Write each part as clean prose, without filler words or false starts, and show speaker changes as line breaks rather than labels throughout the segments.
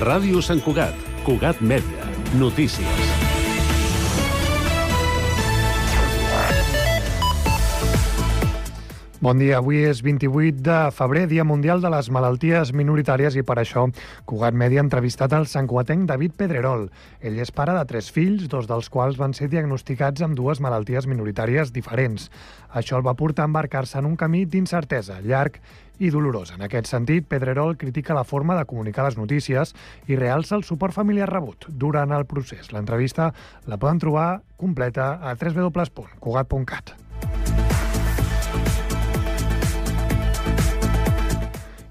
Ràdio Sant Cugat, Cugat Mèdia, notícies.
Bon dia, avui és 28 de febrer, Dia Mundial de les Malalties Minoritàries, i per això Cugat Mèdia ha entrevistat el santcugatenc David Pedrerol. Ell és pare de 3 fills, 2 dels quals van ser diagnosticats amb 2 malalties minoritàries diferents. Això el va portar a embarcar-se en un camí d'incertesa, llarg i dolorós. En aquest sentit, Pedrerol critica la forma de comunicar les notícies i realça el suport familiar rebut durant el procés. L'entrevista la poden trobar completa a www.cugat.cat.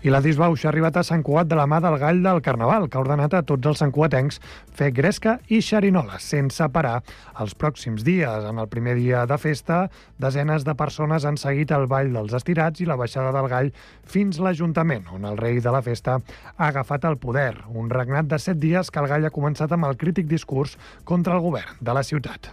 I la disbauxa ha arribat a Sant Cugat de la mà del Gall del Carnaval, que ha ordenat a tots els santcugatencs fer gresca i xerinola, sense parar els pròxims dies. En el primer dia de festa, desenes de persones han seguit el ball dels estirats i la baixada del Gall fins l'Ajuntament, on el rei de la festa ha agafat el poder. Un regnat de 7 dies que el Gall ha començat amb el crític discurs contra el govern de la ciutat.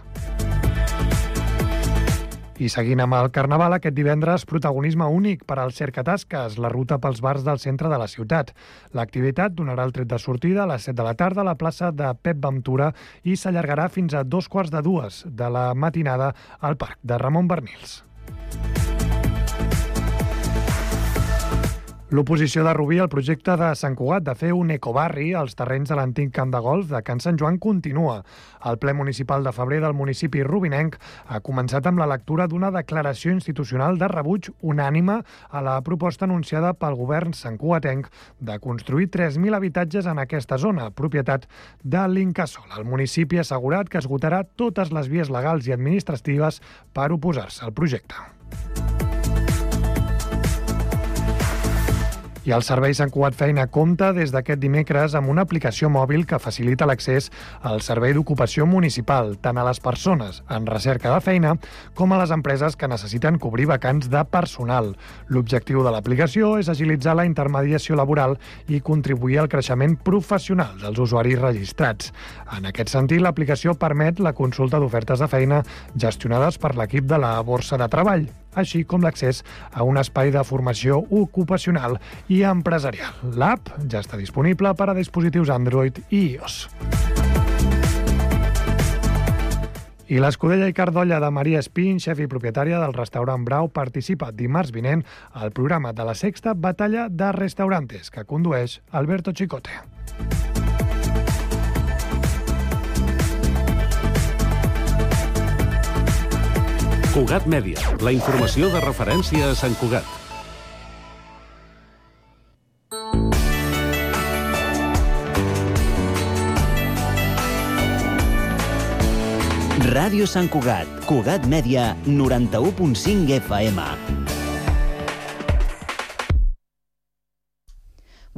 I seguint amb el Carnaval, aquest divendres protagonisme únic per al Cercatasques, la ruta pels bars del centre de la ciutat. L'activitat donarà el tret de sortida a les 7 de la tarda a la plaça de Pep Ventura i s'allargarà fins a 2:45 de la matinada al Parc de Ramon Bernils. L'oposició de Rubí al projecte de Sant Cugat de fer un ecobarri als terrenys de l'antic camp de golf de Can Sant Joan continua. El ple municipal de febrer del municipi rubinenc ha començat amb la lectura d'una declaració institucional de rebuig unànime a la proposta anunciada pel govern santcugatenc de construir 3.000 habitatges en aquesta zona, propietat de l'Incasòl. El municipi ha assegurat que esgotarà totes les vies legals i administratives per oposar-se al projecte. I el Servei Sant Cugat Feina compta des d'aquest dimecres amb una aplicació mòbil que facilita l'accés al servei d'ocupació municipal, tant a les persones en recerca de feina com a les empreses que necessiten cobrir vacants de personal. L'objectiu de l'aplicació és agilitzar la intermediació laboral i contribuir al creixement professional dels usuaris registrats. En aquest sentit, l'aplicació permet la consulta d'ofertes de feina gestionades per l'equip de la Borsa de Treball, així com l'accés a un espai de formació ocupacional i empresarial. L'app ja està disponible per a dispositius Android i iOS. I l'Escudella i Cardolla de Maria Espín, xef i propietària del restaurant Brau, participa dimarts vinent al programa de la 6ª Batalla de Restaurantes, que condueix Alberto Chicote.
Cugat Mèdia, la informació de referència a Sant Cugat.
Ràdio Sant Cugat, Cugat Mèdia, 91.5 FM.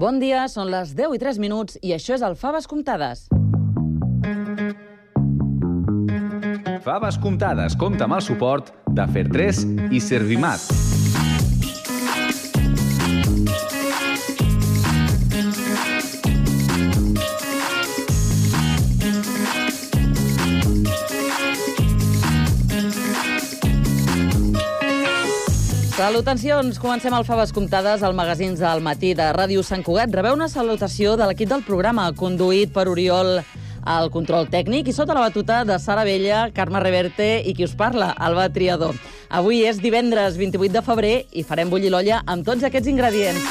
Bon dia, són les 10:03 i això és el Faves Comptades.
Faves Comptades compta amb el suport de Fer3 i Servimat.
Salutacions! Comencem el Faves Comptades al magazín del matí de Ràdio Sant Cugat. Rebeu una salutació de l'equip del programa, conduït per Oriol al control tècnic i sota la batuta de Sara Vella, Carme Reverte i qui us parla, Alba Triador. Avui és divendres 28 de febrer i farem bullir l'olla amb tots aquests ingredients.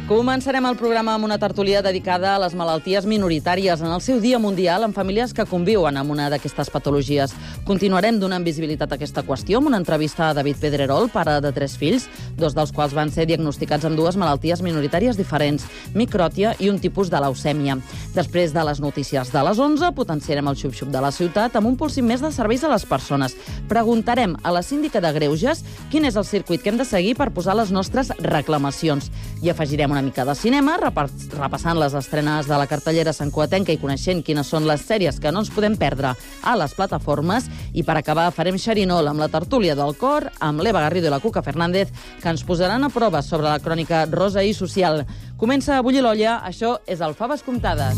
Començarem el programa amb una tertúlia dedicada a les malalties minoritàries en el seu Dia Mundial en famílies que conviuen amb una d'aquestes patologies. Continuarem donant visibilitat a aquesta qüestió amb una entrevista a David Pedrerol, pare de 3 fills, 2 dels quals van ser diagnosticats amb 2 malalties minoritàries diferents, micròtia i un tipus de leucèmia. Després de les notícies de les 11, potenciarem el xup-xup de la ciutat amb un púlsim més de serveis a les persones. Preguntarem a la síndica de Greuges quin és el circuit que hem de seguir per posar les nostres reclamacions. I afegirem una mica de cinema, repassant les estrenes de la cartellera santcugatenca i coneixent quines són les sèries que no ens podem perdre a les plataformes. I per acabar farem xerinol amb la tertúlia del cor, amb l'Eva Garrido i la Cuca Fernández, que ens posaran a prova sobre la crònica rosa i social. Comença a bullir l'olla, això és el Faves Comptades.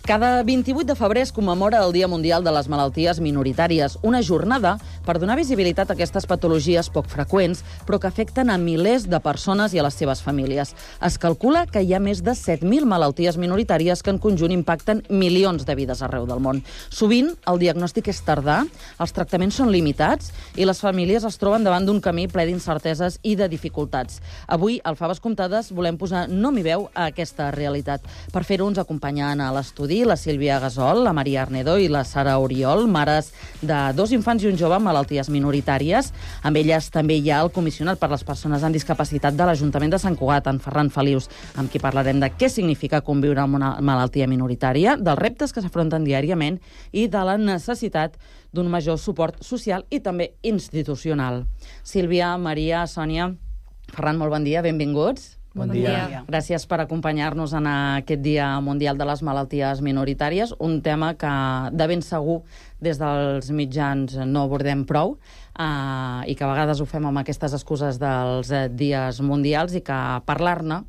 Cada 28 de febrer es commemora el Dia Mundial de les Malalties Minoritàries, una jornada per donar visibilitat a aquestes patologies poc freqüents, però que afecten a milers de persones i a les seves famílies. Es calcula que hi ha més de 7.000 malalties minoritàries que en conjunt impacten milions de vides arreu del món. Sovint, el diagnòstic és tardà, els tractaments són limitats i les famílies es troben davant d'un camí ple d'incerteses i de dificultats. Avui, al Faves Comptades, volem posar nom i veu a aquesta realitat. Per fer-ho ens acompanyen a l'estudi la Sílvia Gasol, la Maria Arnedo i la Sara Oriol, mares de 2 infants i un jove amb malalties minoritàries. Amb elles també hi ha el comissionat per les persones amb discapacitat de l'Ajuntament de Sant Cugat, en Ferran Felius, amb qui parlarem de què significa conviure amb una malaltia minoritària, dels reptes que s'afronten diàriament i de la necessitat d'un major suport social i també institucional. Sílvia, Maria, Sònia, Ferran, molt bon dia, benvinguts.
Bon dia.
Gràcies per acompanyar-nos en aquest Dia Mundial de les Malalties Minoritàries, un tema que de ben segur des dels mitjans no abordem prou i que a vegades ho fem amb aquestes excuses dels dies mundials i que parlar-ne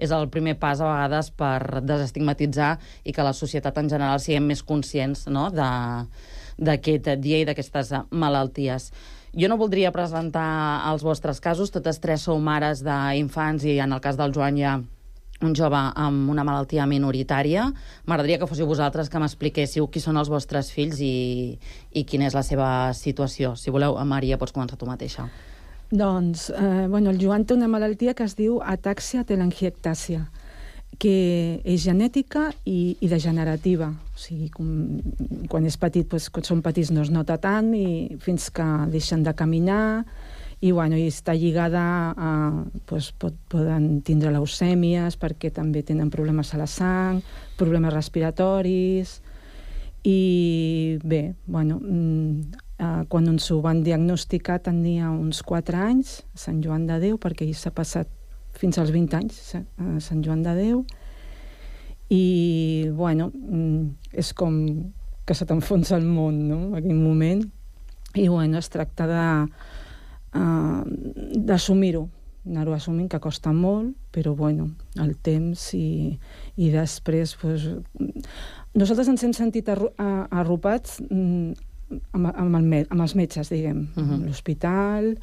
és el primer pas a vegades per desestigmatitzar i que la societat en general siguem més conscients, no?, d'aquest dia i d'aquestes malalties. Jo no voldria presentar els vostres casos, totes 3 sou mares d'infants i en el cas del Joan hi ha un jove amb una malaltia minoritària. M'agradaria que fóssiu vosaltres que m'expliquéssiu qui són els vostres fills i quina és la seva situació. Si voleu, Maria, pots començar tu mateixa.
Doncs, el Joan té una malaltia que es diu atàxia telangiectàsia, que és genètica i degenerativa. O sigui, quan és petit, quan són petits no es nota tant i fins que deixen de caminar i està lligada a... poden tindre leucèmies perquè també tenen problemes a la sang, problemes respiratoris i bé, quan ens ho van diagnosticar tenia uns 4 anys a Sant Joan de Déu, perquè ell s'ha passat fins als 20 anys a Sant Joan de Déu i és com que se t'enfonsa el món, no?, en aquell moment i es tracta d'assumir-ho, anar-ho assumint, que costa molt, però el temps i després nosaltres ens hem sentit arropats amb els metges, diguem, a l'hospital.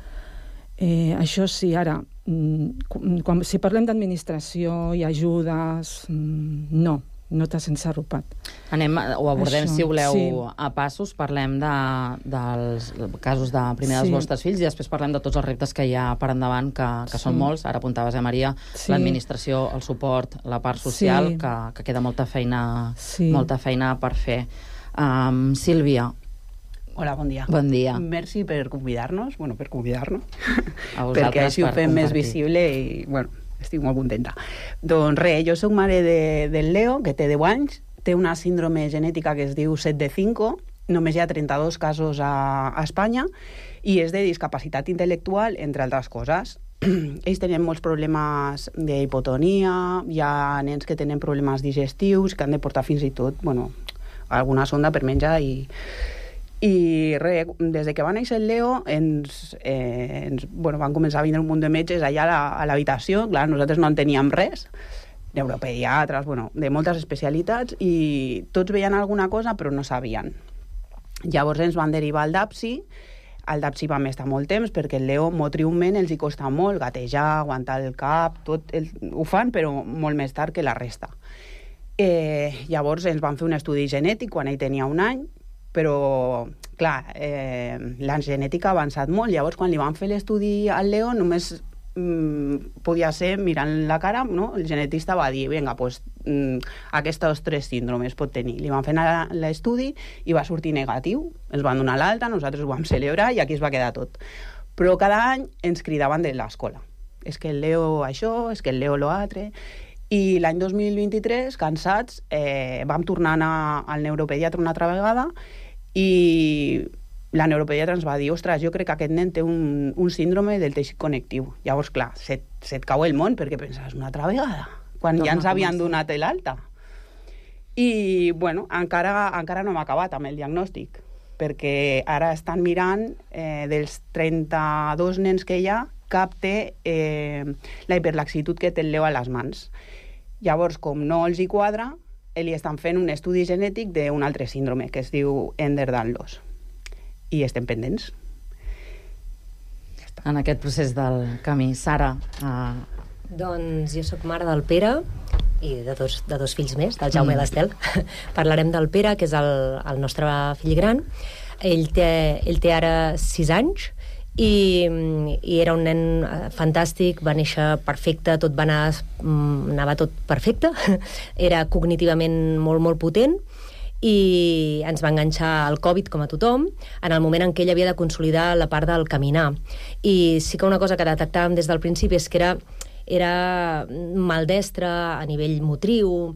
Això sí, ara, si parlem d'administració i ajudes, no t'has sense arropat.
Ho abordem, si voleu, a passos. Parlem dels casos dels vostres fills i després parlem de tots els reptes que hi ha per endavant, que són molts. Ara apuntaves, Maria, l'administració, el suport, la part social, que queda molta feina per fer. Sílvia.
Hola, bon dia.
Bon dia.
Merci per convidar-nos, perquè així ho fem més visible i, estic molt contenta. Doncs res, jo soc mare del Leo, que té 10 anys, té una síndrome genètica que es diu 7 de 5, només hi ha 32 casos a Espanya, i és de discapacitat intel·lectual, entre altres coses. Ells tenen molts problemes d'hipotonia, hi ha nens que tenen problemes digestius, que han de portar fins i tot, alguna sonda per menjar i res, des que va néixer el Leo van començar a vindre un munt de metges allà a l'habitació. Clar, nosaltres no en teníem res, neuropediatres, de moltes especialitats, i tots veien alguna cosa però no sabien. Llavors ens van derivar al DAPSI. Al DAPSI vam estar molt temps perquè el Leo motriument els hi costa molt gatejar, aguantar el cap, tot ho fan però molt més tard que la resta. Llavors ens van fer un estudi genètic quan ell tenia 1 any, però, clar, la genètica ha avançat molt. Llavors, quan li van fer l'estudi al Leo, només podia ser mirant la cara, no? El genetista va dir, vinga, aquests 3 síndromes pot tenir. Li van fer l'estudi i va sortir negatiu. Ens van donar l'alta, nosaltres ho vam celebrar i aquí es va quedar tot. Però cada any ens cridaven de l'escola. És que el Leo això, és que el Leo lo altre. I l'any 2023, cansats, vam tornar a anar al neuropediatre una altra vegada i la neuropediatra ens va dir, ostres, jo crec que aquest nen té un síndrome del teixit connectiu. Llavors, clar, se't cau el món perquè penses una altra vegada, quan ja ens havien donat l'alta. I, bueno, encara no hem acabat amb el diagnòstic, perquè ara estan mirant dels 32 nens que hi ha, cap té la hiperlaxitud que té el Leo a les mans. Llavors, com no els hi quadra, li estan fent un estudi genètic d'un altre síndrome, que es diu Ehlers-Danlos. I estem pendents.
Ja està. En aquest procés del camí. Sara?
Doncs jo sóc mare del Pere i de dos fills més, del Jaume i l'Estel. Parlarem del Pere, que és el nostre fill gran. Ell té ara 6 anys i era un nen fantàstic, va néixer perfecte, tot anava tot perfecte, era cognitivament molt, molt potent, i ens va enganxar el Covid, com a tothom, en el moment en què ell havia de consolidar la part del caminar. I sí que una cosa que detectàvem des del principi és que era maldestre a nivell motriu,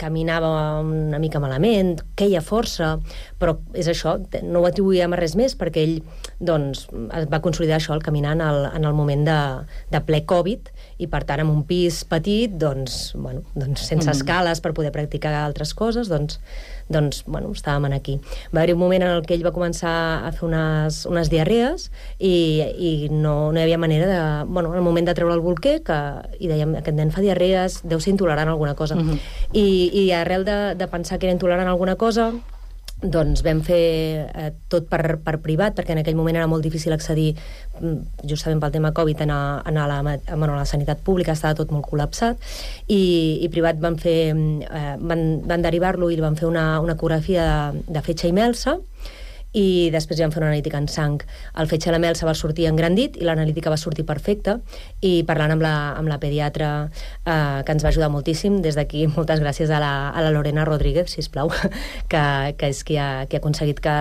caminava una mica malament, queia força, però és això, no ho atribuïem a res més perquè ell doncs, va consolidar això, el caminar en el moment de ple Covid, i per tant, en un pis petit, doncs, sense escales per poder practicar altres coses, doncs estàvem aquí. Va haver un moment en el que ell va començar a fer unes diarrees i no hi havia manera de... en el moment de treure el bolquer, i dèiem, aquest nen fa diarrees, deu ser intolerant a alguna cosa. I arrel de pensar que era intolerant a alguna cosa, doncs vam fer tot per privat, perquè en aquell moment era molt difícil accedir, justament pel tema Covid, a la sanitat pública, estava tot molt col·lapsat, i privat van derivar-lo i van fer una ecografia de fetge i melsa, i després ja vam fer una analítica en sang. El fetge i la melsa va sortir engrandit i l'analítica va sortir perfecta, i parlant amb la pediatra, que ens va ajudar moltíssim, des d'aquí moltes gràcies a la Lorena Rodríguez, sisplau, que és qui ha aconseguit que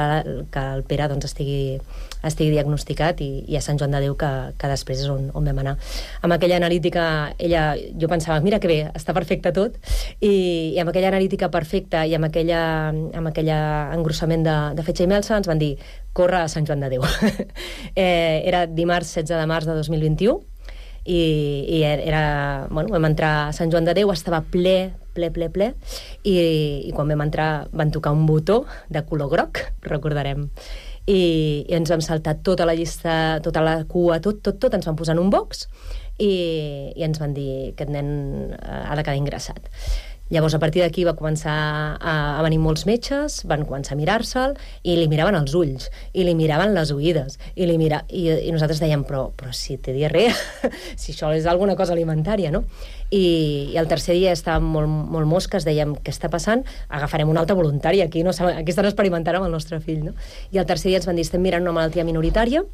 el Pere doncs, estigui diagnosticat, i a Sant Joan de Déu, que després és on vam anar. Amb aquella analítica, jo pensava, mira que bé, està perfecte tot, i amb aquella analítica perfecta i amb aquell engrossament de fetge i melsa, ens van dir, corre a Sant Joan de Déu. Era dimarts 16 de març de 2021, i vam entrar a Sant Joan de Déu, estava ple, i quan vam entrar van tocar un botó de color groc, recordarem, i ens vam saltar tota la llista, tota la cua, tot, ens van posar en un box, i ens van dir que aquest nen ha de quedar ingressat. Llavors, a partir d'aquí va començar a venir molts metges, van començar a mirar-se'l, i li miraven els ulls, i li miraven les oïdes, i nosaltres dèiem, però si té diarrea, si això és alguna cosa alimentària, no? I el tercer dia estàvem molt mosques, dèiem, què està passant? Agafarem una alta voluntària, aquí estan experimentant amb el nostre fill, no? I el tercer dia ens van dir, estem mirant una malaltia minoritària,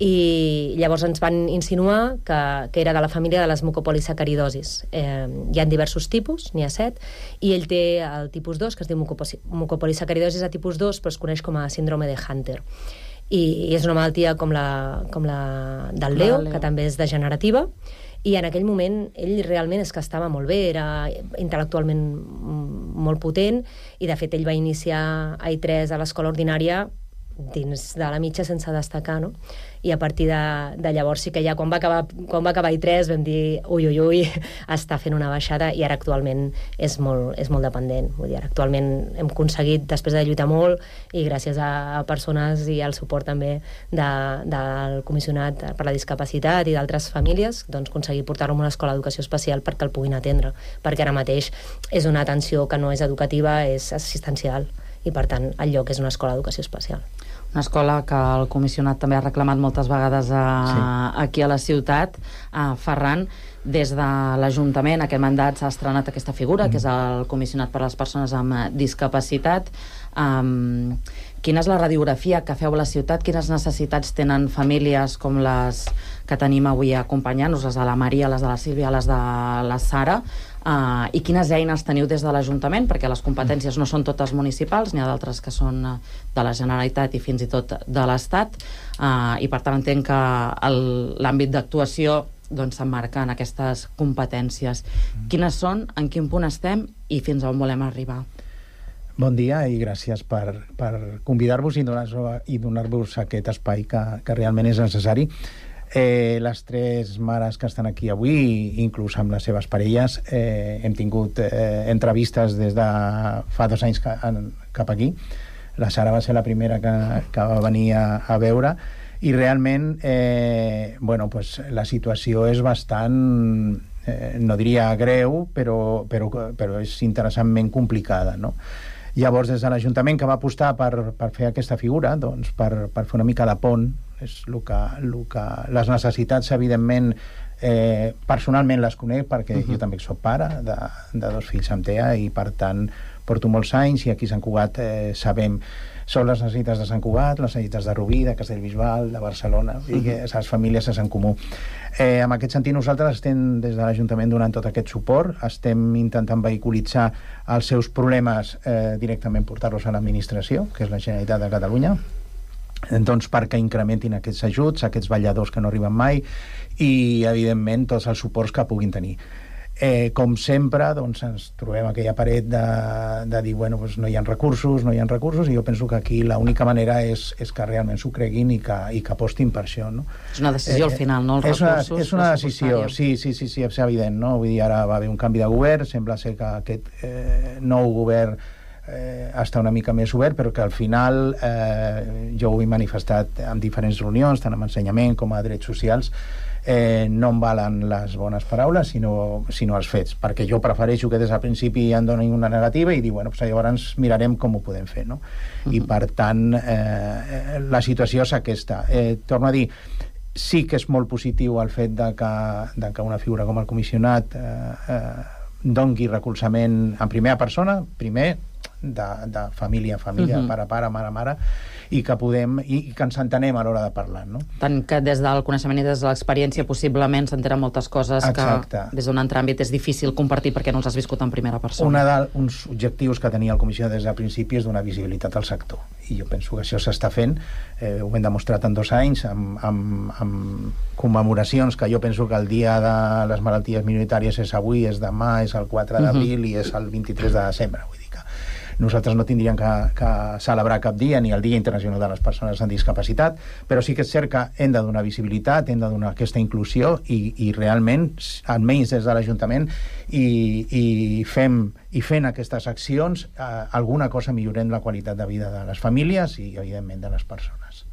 i llavors ens van insinuar que era de la família de les mucopolisacaridosis. Hi ha diversos tipus, n'hi ha 7, i ell té el tipus 2, que es diu mucopolisacaridosis a tipus 2, però es coneix com a síndrome de Hunter. I és una malaltia com la del Leo, que també és degenerativa, i en aquell moment ell realment és que estava molt bé, era intel·lectualment molt potent, i de fet ell va iniciar A3 a l'escola ordinària dins de la mitja sense destacar, no? I a partir de llavors sí que ja quan va acabar I3 vam dir ui, està fent una baixada, i ara actualment és molt dependent. Vull dir, ara actualment hem aconseguit, després de lluitar molt, i gràcies a persones i al suport també del Comissionat per la Discapacitat i d'altres famílies, doncs aconseguir portar-lo a una escola d'educació especial perquè el puguin atendre, perquè ara mateix és una atenció que no és educativa, és assistencial, i per tant el lloc és una escola d'educació especial.
Una escola que el comissionat també ha reclamat moltes vegades aquí a la ciutat. Ferran, des de l'Ajuntament, aquest mandat s'ha estrenat aquesta figura, que és el comissionat per a les persones amb discapacitat. Quina és la radiografia que feu a la ciutat? Quines necessitats tenen famílies com les que tenim avui acompanyant-nos, les de la Maria, les de la Sílvia, les de la Sara? I quines eines teniu des de l'Ajuntament, perquè les competències no són totes municipals, n'hi ha d'altres que són de la Generalitat i fins i tot de l'Estat, i per tant entenc que l'àmbit d'actuació s'emmarca en aquestes competències. Quines són, en quin punt estem i fins on volem arribar?
Bon dia i gràcies per convidar-vos i donar-vos aquest espai que realment és necessari. Les tres mares que estan aquí avui, inclús amb les seves parelles, hem tingut entrevistes des de fa 2 anys cap aquí. La Sara va ser la primera que va venir a veure i realment la situació és bastant, no diria greu, però és interessantment complicada, no? Llavors, des de l'Ajuntament, que va apostar per fer aquesta figura, doncs, per fer una mica de pont, és el que les necessitats, evidentment, personalment les conec, perquè jo també soc pare de 2 fills amb TEA i, per tant, porto molts anys i aquí a Sant Cugat sabem són les necessitats de Sant Cugat, les necessitats de Rubí, de Castellbisbal, de Barcelona, i que les famílies és en comú. En aquest sentit, nosaltres estem des de l'Ajuntament donant tot aquest suport, estem intentant vehiculitzar els seus problemes directament portar-los a l'administració, que és la Generalitat de Catalunya, doncs perquè incrementin aquests ajuts, aquests balladors que no arriben mai i, evidentment, tots els suports que puguin tenir. Com sempre, doncs, ens trobem aquella paret de dir, bueno, doncs no hi ha recursos, i jo penso que aquí l'única manera és que realment s'ho creguin i que apostin per això, no?
És una decisió al final, no? Els recursos...
És una decisió, sí, és evident, no? Vull dir, ara va haver un canvi de govern, sembla ser que aquest nou govern està una mica més obert, però que al final jo ho he manifestat en diferents reunions, tant amb ensenyament com a drets socials, no em valen les bones paraules sinó els fets, perquè jo prefereixo que des del principi em donin una negativa i dir, bueno, doncs llavors mirarem com ho podem fer, no? I per tant la situació és aquesta. Torno a dir, sí que és molt positiu el fet de que una figura com el comissionat doni recolzament en primera persona, primer de família, pare, mare, i que podem i que ens entenem a l'hora de parlar, no?
Tant que des del coneixement i des de l'experiència possiblement s'entenen moltes coses que des d'un altre àmbit és difícil compartir perquè no els has viscut en primera persona.
Uns objectius que tenia el comissió des del principi és donar visibilitat al sector, i jo penso que això s'està fent, ho hem demostrat en 2 anys amb commemoracions que jo penso que el dia de les malalties minoritàries és avui, és demà, és el 4 d'abril i és el 23 de desembre, vull dir que nosaltres no tindríem que celebrar cap dia, ni el Dia Internacional de les Persones amb Discapacitat, però sí que és cert que hem de donar visibilitat, hem de donar aquesta inclusió i realment, almenys des de l'Ajuntament, i fent aquestes accions, alguna cosa millorem la qualitat de vida de les famílies i, evidentment, de les persones.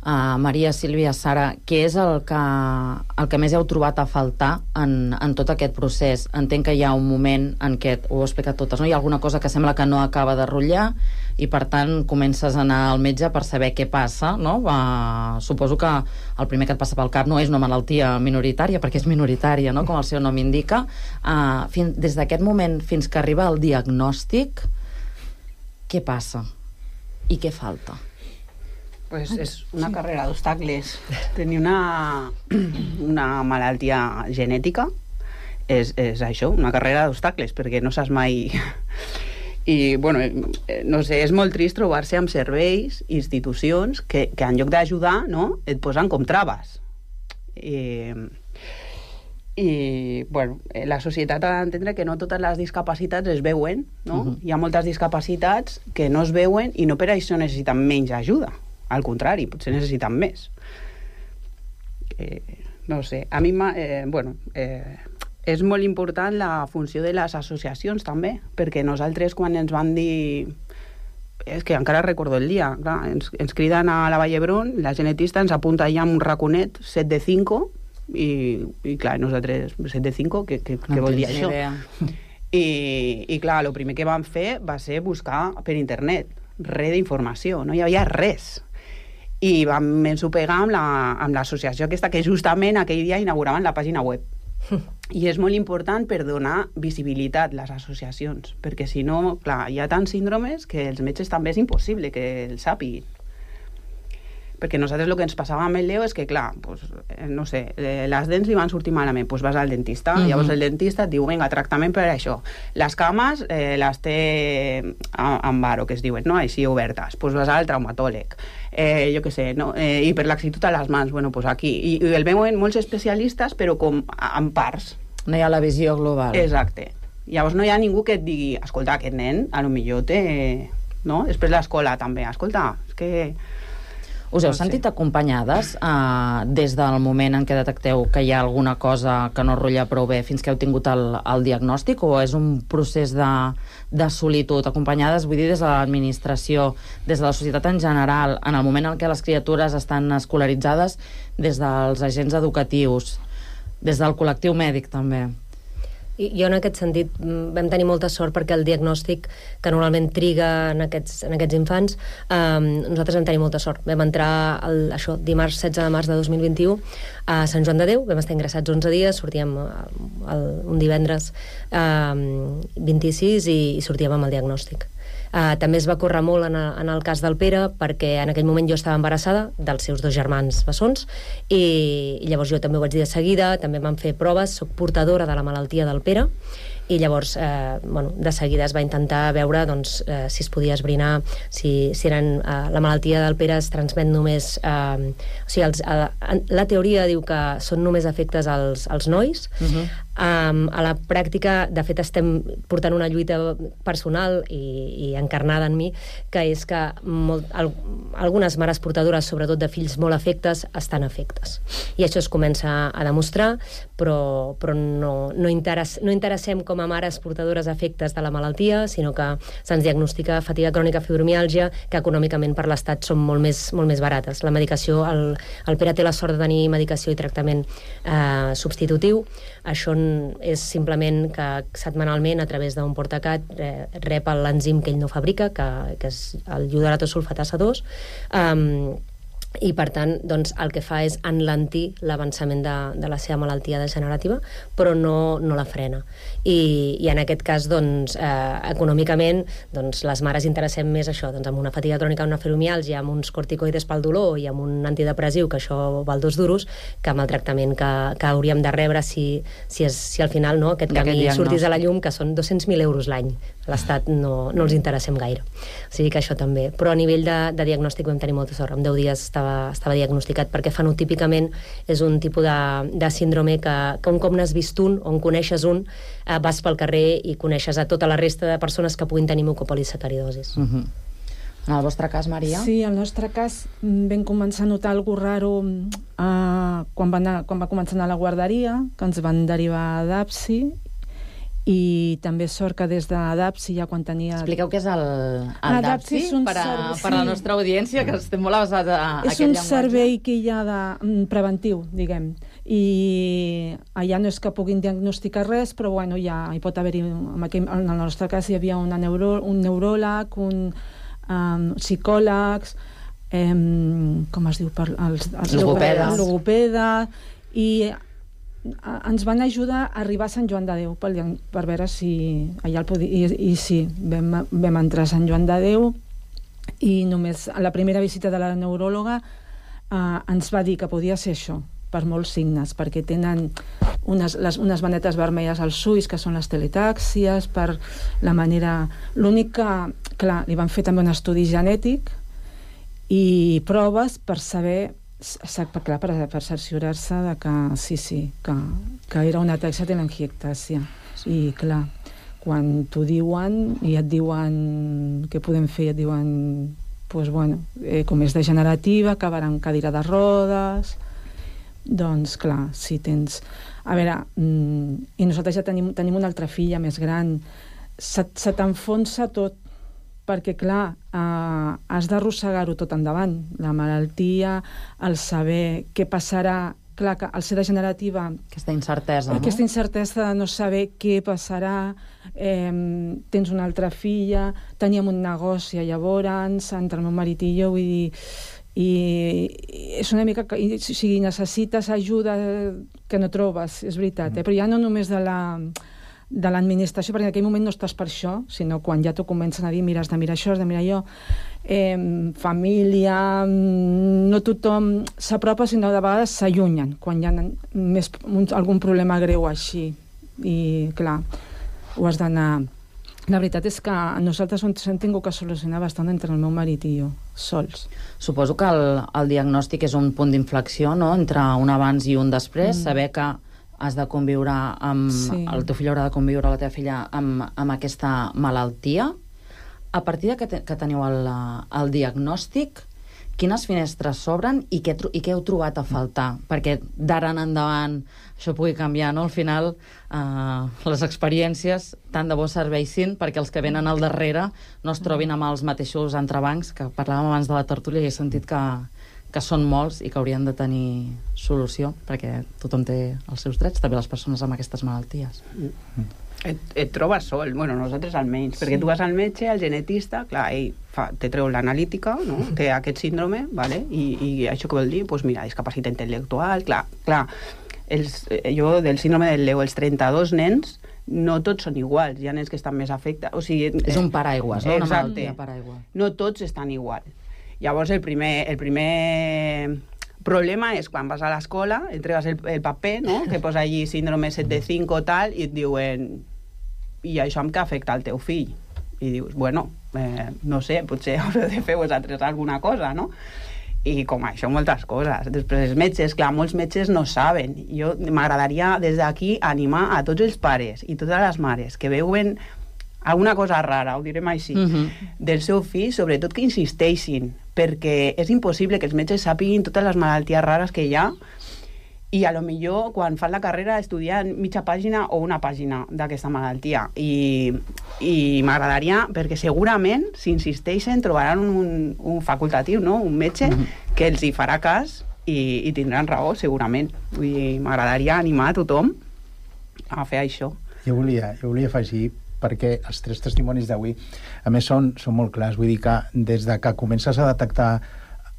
Maria, Sílvia, Sara, què és el que més heu trobat a faltar en tot aquest procés? Entenc que hi ha un moment en què, ho heu explicat totes, no? Hi ha alguna cosa que sembla que no acaba de rotllar i, per tant, comences a anar al metge per saber què passa, no? Suposo que el primer que et passa pel cap no és una malaltia minoritària, perquè és minoritària, no? Com el seu nom indica. Des d'aquest moment fins que arriba el diagnòstic, què passa? I què falta?
Pues és una carrera d'obstacles. Tenir una malaltia genètica és això, una carrera d'obstacles, perquè no saps mai... I, bueno, no sé, és molt trist trobar-se amb serveis, institucions, que en lloc d'ajudar, no?, et posen com traves. I bueno, la societat ha d'entendre que no totes les discapacitats es veuen, no? Hi ha moltes discapacitats que no es veuen i no per això necessiten menys ajuda. Al contrari, potser necessiten més. No sé, a mi és molt important la funció de les associacions també, perquè nosaltres quan ens van dir, és que encara recordo el dia, clar, ens criden a la Vall d'Hebron, la genetista ens apunta allà amb un raconet 7 de 5 i clar, nosaltres 7 de 5, què vol dir això? I clar, el primer que vam fer va ser buscar per internet res d'informació, no hi havia res. I vam ensopegar amb l'associació aquesta que justament aquell dia inauguraven la pàgina web. I és molt important per donar visibilitat a les associacions, perquè si no, clar, hi ha tants síndromes que els metges també és impossible que els sàpiguin. Perquè nosaltres el que ens passava amb el Leo és que, clar, pues, no sé, les dents li van sortir malament, pues vas al dentista, llavors el dentista et diu, vinga, tractament per això. Les cames les té amb varo, que es diuen, no? Així obertes, pues vas al traumatòleg. Jo què sé, no? I per laxitud a les mans, bueno, pues aquí. I el veuen molts especialistes, però com en parts.
No hi ha la visió global.
Exacte. Llavors no hi ha ningú que et digui, escolta, aquest nen, a lo millor té... No? Després l'escola també, escolta, és que...
Us heu sentit acompanyades des del moment en què detecteu que hi ha alguna cosa que no rutlla prou bé fins que heu tingut el diagnòstic, o és un procés de solitud? Acompanyades, vull dir, des de l'administració, des de la societat en general, en el moment en què les criatures estan escolaritzades, des dels agents educatius, des del col·lectiu mèdic també.
Jo en aquest sentit vam tenir molta sort perquè el diagnòstic que normalment triga en aquests infants, nosaltres vam tenir molta sort. Vam entrar dimarts 16 de març de 2021 a Sant Joan de Déu, vam estar ingressats 11 dies, sortíem un divendres 26 i sortíem amb el diagnòstic. També es va córrer molt en el cas del Pere, perquè en aquell moment jo estava embarassada dels seus 2 germans bessons, i llavors jo també ho vaig dir de seguida, també em van fer proves, soc portadora de la malaltia del Pere, i llavors de seguida es va intentar veure si es podia esbrinar si la malaltia del Pere es transmet només... O sigui, la teoria diu que són només efectes als nois. A la pràctica, de fet, estem portant una lluita personal i encarnada en mi, que és que algunes mares portadores, sobretot de fills molt afectes, estan afectes. I això es comença a demostrar, però no interessem com a mares portadores afectes de la malaltia, sinó que se'ns diagnostica fatiga crònica, fibromiàlgia, que econòmicament per l'Estat són molt més barates. La medicació, el Pere té la sort de tenir medicació i tractament substitutiu. Això és simplement que setmanalment, a través d'un portacat, rep l'enzim que ell no fabrica, que és el ioderatossulfatasa 2, i per tant el que fa és enlentir l'avançament de la seva malaltia degenerativa, però no la frena. I en aquest cas econòmicament les mares interessem més això, amb una fatiga crònica, una fibromiàlgia, amb uns corticoides pel dolor i amb un antidepressiu, que això val 2 duros, que amb el tractament que hauríem de rebre si al final aquest camí sortís a la llum, que són 200.000 euros l'any. L'Estat no els interessem gaire. O sigui que això també. Però a nivell de diagnòstic vam tenir molta sort. En 10 dies estava diagnosticat, perquè fenotípicament és un tipus de síndrome que un cop n'has vist un, o en coneixes un, vas pel carrer i coneixes a tota la resta de persones que puguin tenir mucopolisacaridosis.
En el vostre cas, Maria?
Sí, en el nostre cas vam començar a notar alguna raro quan va començar a anar a la guarderia, que ens van derivar a DAPSI, i també sort que des de DAPSI ja quan tenia...
Expliqueu què és el DAPSI per a la nostra audiència, que estem molt avasats a aquest llenguatge.
És un servei que hi ha preventiu, diguem, i allà no és que puguin diagnosticar res, però bueno, hi pot haver-hi, en el nostre cas hi havia un neuròleg, un psicòlegs, com es diu? Logopeda, i ens van ajudar a arribar a Sant Joan de Déu per veure si allà el podia... I sí, vam entrar a Sant Joan de Déu i només a la primera visita de la neuròloga ens va dir que podia ser això, per molts signes, perquè tenen unes manetes vermelles als ulls, que són les teletàxies, per la manera... L'únic que, clar, li van fer també un estudi genètic i proves per saber... Clar, per cerciorar-se de que que era una ataxia telangiectàsia. I clar, quan t'ho diuen i et diuen què podem fer, et diuen com és degenerativa, acabarà en cadira de rodes, doncs clar, si tens... A veure, i nosaltres ja tenim una altra filla més gran, se t'enfonsa tot, perquè, clar, has d'arrossegar-ho tot endavant. La malaltia, el saber què passarà, clar, que al ser degenerativa...
Aquesta incertesa, no?
Aquesta incertesa de no saber què passarà, tens una altra filla, teníem un negoci llavors, entre el meu marit i jo, vull dir... I és una mica... O sigui, necessites ajuda que no trobes, és veritat, però ja no només de de l'administració, perquè en aquell moment no estàs per això, sinó quan ja t'ho comencen a dir, mira, has de mirar això, has de mirar allò. Família, no tothom s'apropa, sinó de vegades s'allunyen, quan hi ha algun problema greu així. I, clar, ho has d'anar... La veritat és que nosaltres ens hem tingut que solucionar bastant entre el meu marit i jo, sols.
Suposo que el diagnòstic és un punt d'inflexió, no?, entre un abans i un després, saber que has de conviure amb... Sí. El teu fill haurà de conviure, la teva filla, amb aquesta malaltia. A partir que teniu el diagnòstic, quines finestres s'obren i què heu trobat a faltar? Perquè d'ara en endavant això pugui canviar, no? Al final, les experiències tant de bo serveixin perquè els que venen al darrere no es trobin amb els mateixos entrebancs que parlàvem abans de la tertúlia i he sentit que són molts i que haurien de tenir solució perquè tothom té els seus drets, també les persones amb aquestes malalties.
Et trobes sol, bueno, nosaltres almenys, perquè tu vas al metge, al genetista, clar, ell te treu l'analítica, no? Té aquest síndrome, vale? I això què vol dir? Doncs mira, discapacitat intel·lectual, clar, jo del síndrome del Leo, els 32 nens, no tots són iguals, hi ha nens que estan més afectats, o sigui...
És un paraigües, no? Una malaltia paraigua.
No tots estan igual. Llavors el primer problema és quan vas a l'escola, entregues el paper, no?, que posa allí síndrome 7 de 5 o tal, i et diuen i això amb què afecta al teu fill? I dius, bueno, no sé, potser haureu de fer vosaltres alguna cosa, no? I com això, moltes coses. Després els metges, clar, molts metges no saben. Jo m'agradaria des d'aquí animar a tots els pares i totes les mares que veuen alguna cosa rara, ho direm així, del seu fill, sobretot que insisteixin, perquè és impossible que els metges sàpiguin totes les malalties rares que hi ha i a lo millor quan fan la carrera estudien mitja pàgina o una pàgina d'aquesta malaltia i m'agradaria, perquè segurament si insisteixen trobaran un facultatiu, no? Un metge que els hi farà cas i tindran raó segurament. Vull dir, m'agradaria animar a tothom a fer això.
Jo volia afegir, perquè els 3 testimonis d'avui a més són molt clars, vull dir que des de que comences a detectar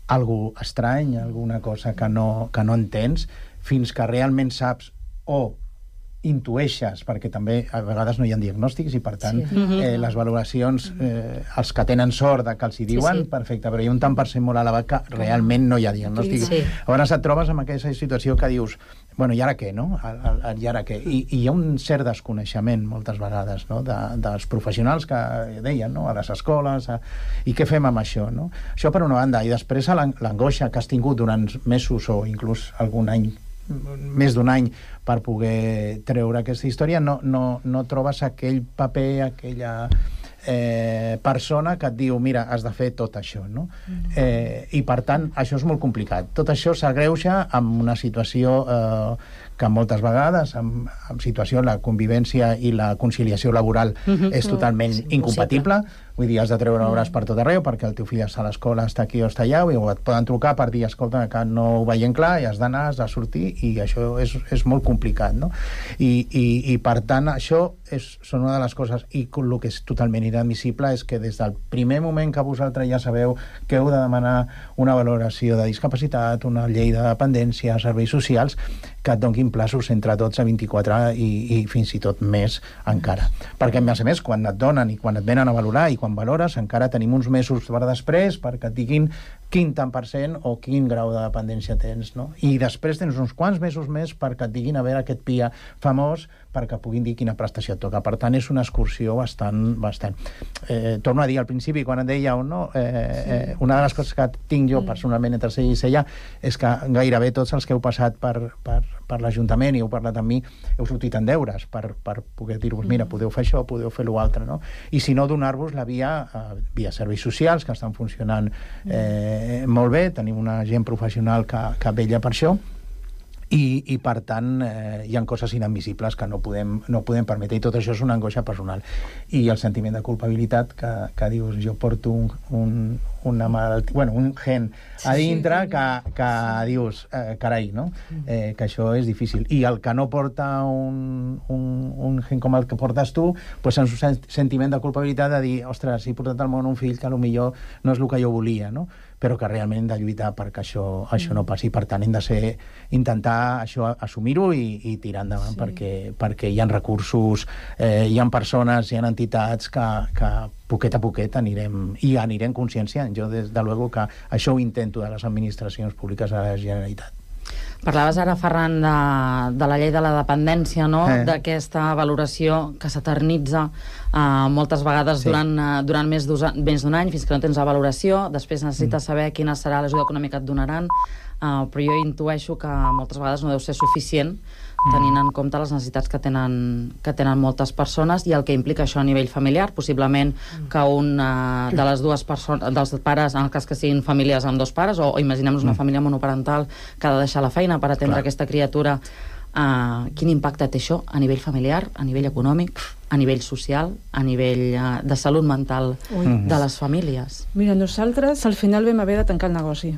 alguna estrany, alguna cosa que no entens, fins que realment saps o intueixes, perquè també a vegades no hi ha diagnòstics i per tant les valoracions, els que tenen sort de que els hi diuen, perfecte, però hi ha un tant per cent molt elevat que realment no hi ha diagnòstic. Llavors et trobes amb aquesta situació que dius, bueno, i ara què, no? I ara què? I hi ha un cert desconeixement moltes vegades, no?, dels professionals que deien, no?, a les escoles, i què fem amb això, no? Això per una banda, i després l'angoixa que has tingut durant mesos o inclús algun any, més d'un any, per poder treure aquesta història, no trobes aquell paper, aquella persona que et diu, mira, has de fer tot això, no? I per tant, això és molt complicat. Tot això s'agreuja amb una situació que moltes vegades, en situació la convivència i la conciliació laboral és totalment incompatible. Vull dir, has de treure hores per tot arreu perquè el teu fill està a l'escola, està aquí o està allà, o et poden trucar per dir, escolta, que no ho veiem clar i has d'anar, has de sortir, i això és molt complicat, no? I per tant, això són una de les coses, i el que és totalment inadmissible és que des del primer moment que vosaltres ja sabeu que heu de demanar una valoració de discapacitat, una llei de dependència, serveis socials, que et donin plaços entre 12 a 24 i fins i tot més encara. Perquè, a més, quan et donen i quan et venen a valorar i quan valores, encara tenim uns mesos per després perquè et diguin quin tant per cent o quin grau de dependència tens, no? I després tens uns quants mesos més perquè et diguin a veure aquest PIA famós perquè puguin dir quina prestació et toca. Per tant, és una excursió bastant. Torno a dir, al principi, quan et dèieu, no? Una de les coses que tinc jo personalment entre ell i ella és que gairebé tots els que heu passat per l'Ajuntament i heu parlat amb mi, heu sortit en deures per poder dir-vos, mira, podeu fer això, podeu fer l'altre, no? I si no, donar-vos la via serveis socials, que estan funcionant molt bé, tenim una gent professional que vetlla per això, i per tant hi ha coses inadmissibles que no podem permetre, i tot això és una angoixa personal. I el sentiment de culpabilitat que dius, jo porto una malaltia, bueno, un gen a dintre que dius, carai, no? Que això és difícil. I el que no porta un gen com el que portes tu, doncs és un sentiment de culpabilitat de dir, ostres, he portat al món un fill que potser no és el que jo volia, no? però que realment hem de lluitar perquè això no passi. Per tant, hem de intentar això assumir-ho i tirar endavant, perquè hi ha recursos, hi ha persones, hi ha entitats que poquet a poquet anirem conscienciant. Jo, des de luego, que això ho intento de les administracions públiques de la Generalitat.
Parlaves ara, Ferran, de la llei de la dependència, no? D'aquesta valoració que s'eternitza moltes vegades durant més d'un any, fins que no tens la valoració. Després necessites saber quina serà l'ajuda econòmica que et donaran, però jo intueixo que moltes vegades no deu ser suficient, tenint en compte les necessitats que tenen moltes persones i el que implica això a nivell familiar. Possiblement que un de les dues persones, dels pares, en el cas que siguin famílies amb dos pares, o imaginem-nos una família monoparental que ha de deixar la feina per atendre aquesta criatura, quin impacte té això a nivell familiar, a nivell econòmic, a nivell social, a nivell de salut mental de les famílies?
Mira, nosaltres al final vam haver de tancar el negoci.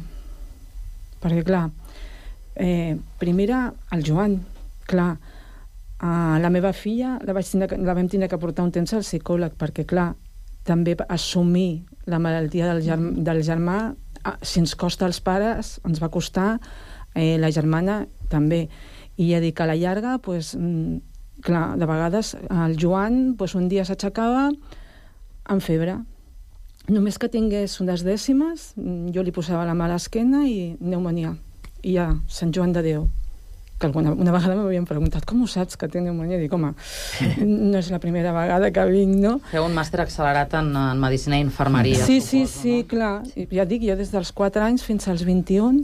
Perquè, clar, primera, el Joan, clar, la meva filla la vam tindre que portar un temps al psicòleg, perquè, clar, també assumir la malaltia del germà, si ens costa als pares, ens va costar la germana també. I ja dic, a la llarga, clar, de vegades el Joan un dia s'aixecava amb febre. Només que tingués unes dècimes, jo li posava la mà a l'esquena i pneumònia. I ja, Sant Joan de Déu. Que una vegada m'havien preguntat com ho saps que té pneumònia? Dic, home, no és la primera vegada que vinc, no?
Feu un màster accelerat en medicina i infermeria.
Sí, clar. Ja dic, jo des dels 4 anys fins als 21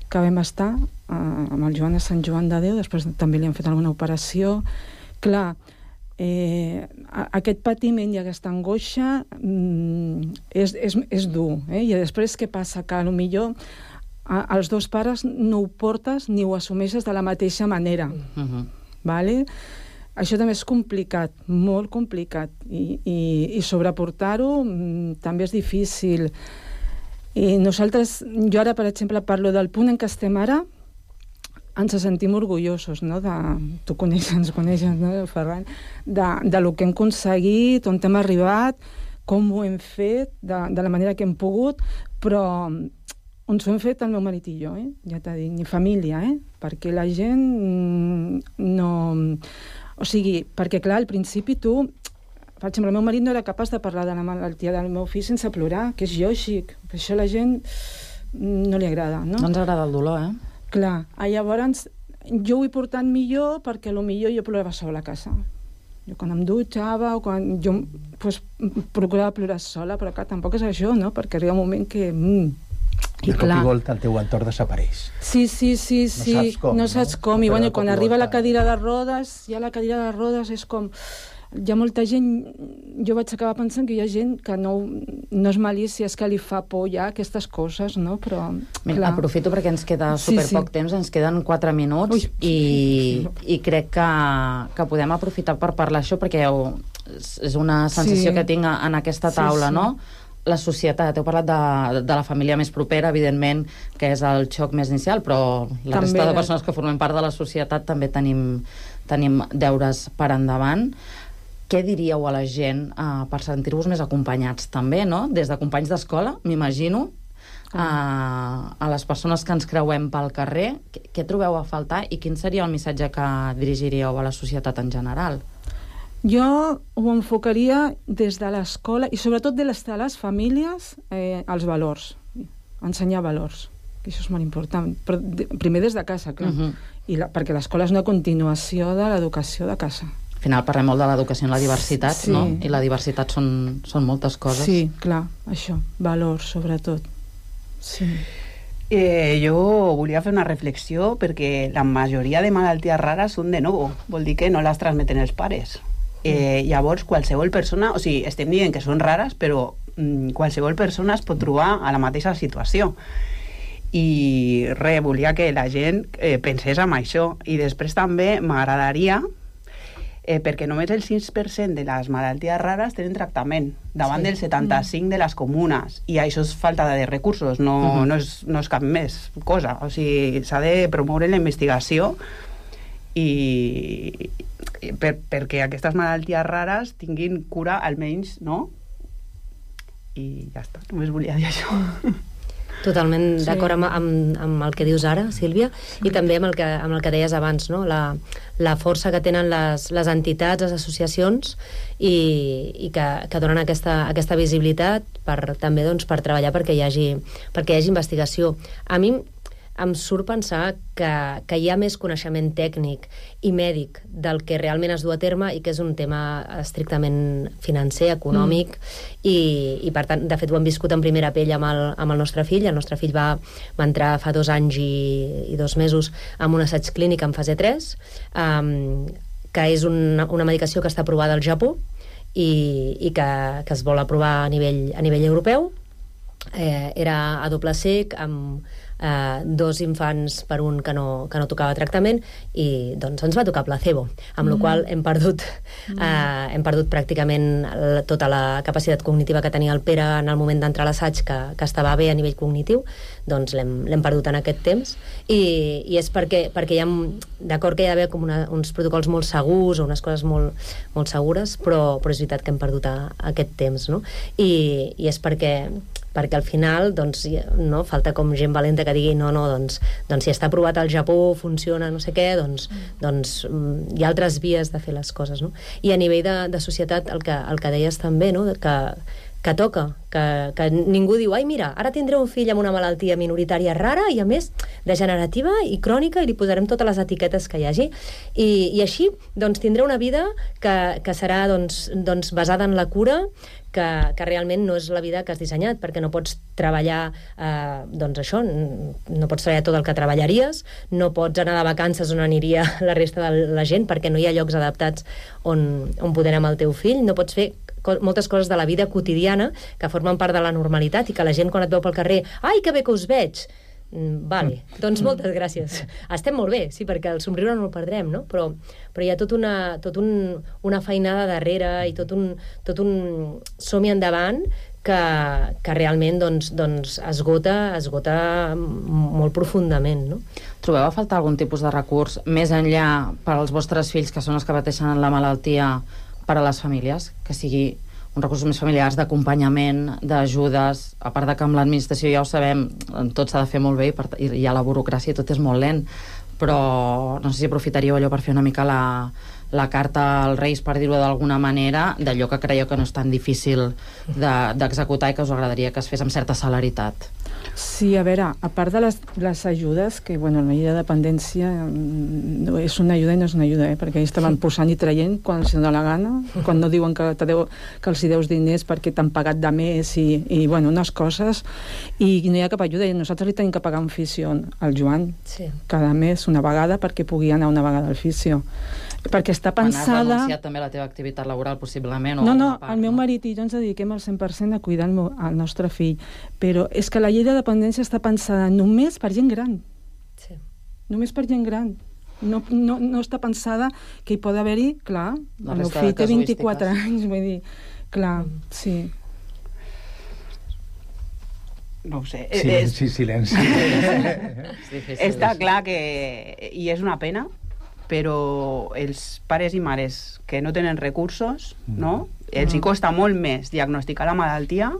que vam estar amb el Joan a Sant Joan de Déu, després també li han fet alguna operació. Clar, aquest patiment i aquesta angoixa és dur, i després què passa? Que potser els dos pares no ho portes ni ho assumeixes de la mateixa manera. Vale? Això també és complicat, molt complicat, i sobreportar-ho també és difícil. I nosaltres, jo ara, per exemple, parlo del punt en què estem ara, ens sentim orgullosos, no? Tu ens coneixes, no, Ferran? De lo que hem aconseguit, on hem arribat, com ho hem fet, de la manera que hem pogut, però on s'ho hem fet el meu marit i jo, ja t'ha dit, ni família, perquè la gent no... O sigui, perquè clar, al principi tu... Per exemple, el meu marit no era capaç de parlar de la malaltia del meu fill sense plorar, que és lògic, per això a la gent no li agrada, no?
No ens agrada el dolor,
Clar, llavors jo ho he portat millor perquè potser jo plorava sola a casa. Jo quan em dutxava o quan jo procurava plorar sola, però clar, tampoc és això, no? Perquè arriba un moment que...
I de cop i volta el teu entorn desapareix.
Sí. No saps com. I quan arriba la cadira de rodes, ja la cadira de rodes és com... Hi ha molta gent... Jo vaig acabar pensant que hi ha gent que no és malícia, és que li fa por ja aquestes coses, no? Però...
Aprofito perquè ens queda superpoc temps, ens queden 4 minuts i crec que podem aprofitar per parlar això perquè és una sensació que tinc en aquesta taula, no? La societat, heu parlat de la família més propera, evidentment, que és el xoc més inicial, però la resta de persones que formem part de la societat també tenim deures per endavant. Què diríeu a la gent per sentir-vos més acompanyats també, no? Des de companys d'escola, m'imagino, a les persones que ens creuem pel carrer, què trobeu a faltar i quin seria el missatge que dirigiríeu a la societat en general?
Jo ho enfocaria des de l'escola i sobretot des de les famílies els valors, ensenyar valors, que això és molt important, però primer des de casa, clar, perquè l'escola és una continuació de l'educació de casa.
Al final parlem molt de l'educació en la diversitat, no? I la diversitat són moltes coses.
Sí, clar, això, valors sobretot. Sí.
Jo volia fer una reflexió perquè la majoria de malalties rares són de nou, vol dir que no les transmeten els pares. Llavors, qualsevol persona, o sigui, estem dient que són rares, però qualsevol persona es pot trobar a la mateixa situació. I volia que la gent pensés en això. I després també m'agradaria, perquè només el 6% de les malalties rares tenen tractament, davant del 75% de les comunes. I això és falta de recursos, no és cap més cosa. O sigui, s'ha de promoure la investigació i perquè aquestes malalties rares tinguin cura almenys, no? I ja està, només volia dir això.
Totalment d'acord amb el que dius ara, Sílvia, i també amb el que deies abans, no? La força que tenen les entitats, les associacions, i que donen aquesta visibilitat també per treballar perquè hi hagi investigació. A mi em surt pensar que hi ha més coneixement tècnic i mèdic del que realment es du a terme i que és un tema estrictament financer, econòmic, i per tant, de fet ho hem viscut en primera pell amb el nostre fill. El nostre fill va entrar fa 2 anys i 2 mesos en un assaig clínic en fase 3, que és una medicació que està aprovada al Japó i que es vol aprovar a nivell europeu. Era a doble cec, amb 2 infants per un que no tocava tractament, i doncs ens va tocar placebo, amb la qual hem perdut pràcticament tota la capacitat cognitiva que tenia el Pere en el moment d'entrar a l'assaig, que estava bé a nivell cognitiu. Doncs l'hem perdut en aquest temps, i és perquè hi ha, d'acord que hi ha d'haver com uns protocols molt segurs o unes coses molt, molt segures, però és veritat que hem perdut aquest temps, no? I és perquè al final no falta com gent valenta que digui doncs si està aprovat al Japó, funciona, no sé què, doncs hi ha altres vies de fer les coses, no? I a nivell de societat, el que deies també, no? Que toca, que ningú diu, ai mira, ara tindré un fill amb una malaltia minoritària rara i a més degenerativa i crònica, i li posarem totes les etiquetes que hi hagi, i així doncs tindré una vida que serà doncs basada en la cura, que realment no és la vida que has dissenyat, perquè no pots treballar doncs això, no pots treballar tot el que treballaries, no pots anar de vacances on aniria la resta de la gent, perquè no hi ha llocs adaptats on poder anar amb el teu fill, no pots fer moltes coses de la vida quotidiana que formen part de la normalitat, i que la gent quan et veu pel carrer, ai, que bé que us veig, vale, doncs moltes gràcies, estem molt bé, sí, perquè el somriure no el perdrem, no? Però hi ha tot una feinada darrere i tot un som-hi endavant que realment doncs esgota molt profundament, no?
Trobeu a faltar algun tipus de recurs més enllà per als vostres fills, que són els que pateixen la malaltia, per a les famílies, que sigui uns recursos més familiars, d'acompanyament, d'ajudes, a part de que amb l'administració ja ho sabem, tot s'ha de fer molt bé i hi ha la burocràcia i tot és molt lent, però no sé si aprofitaríeu allò per fer una mica la carta als Reis, per dir-ho d'alguna manera, d'allò que creieu que no és tan difícil d'executar i que us agradaria que es fes amb certa celeritat.
Sí, a veure, a part de les ajudes, que la llei de dependència és una ajuda i no és una ajuda, perquè ells estaven posant i traient quan els dona la gana, quan no diuen que els hi deus diners perquè t'han pagat de més i unes coses, i no hi ha cap ajuda. Nosaltres li tenim que pagar un fisio al Joan cada mes, una vegada, perquè pugui anar una vegada al fisio. Perquè està pensada...
Has renunciat també a la teva activitat laboral, possiblement?
No, el meu marit i jo ens dediquem al 100% a cuidar el nostre fill, però és que la llei de dependència està pensada només per gent gran. Sí. Només per gent gran. No està pensada que hi pot haver-hi, clar, el meu fill té 24 anys, vull dir, clar, sí.
No ho sé.
Sí, silenci.
Està clar que... I és una pena, però els pares i mares que no tenen recursos, no? Els hi costa molt més diagnosticar la malaltia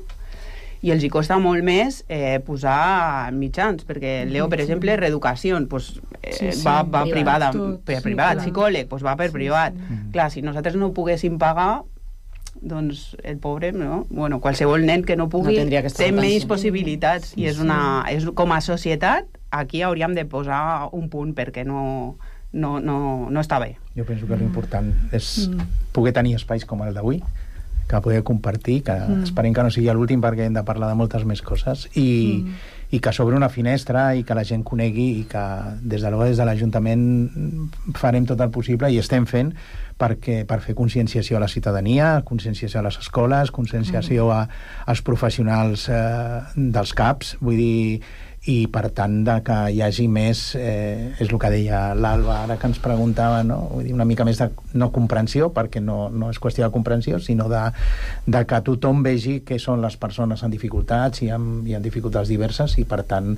i els hi costa molt més posar mitjans, perquè Leo, per exemple, reeducació, va privada, per privat, psicòleg, va per privat. Clar, si nosaltres no ho poguéssim pagar, doncs el pobre, no? Bueno, qualsevol nen que no pugui té menys possibilitats, i com a societat aquí hauríem de posar un punt, perquè no està bé.
Jo penso que l'important és poder tenir espais com el d'avui, que poder compartir, que esperem que no sigui l'últim, perquè hem de parlar de moltes més coses, i que s'obre una finestra i que la gent conegui, i que des de l'Ajuntament farem tot el possible, i estem fent, per fer conscienciació a la ciutadania, conscienciació a les escoles, conscienciació als professionals dels CAPs, vull dir, i per tant que hi hagi més, és el que deia l'Alba ara que ens preguntava, no? Vull dir, una mica més de no comprensió, perquè no és qüestió de comprensió, sinó de que tothom vegi que són les persones amb dificultats i amb dificultats diverses, i per tant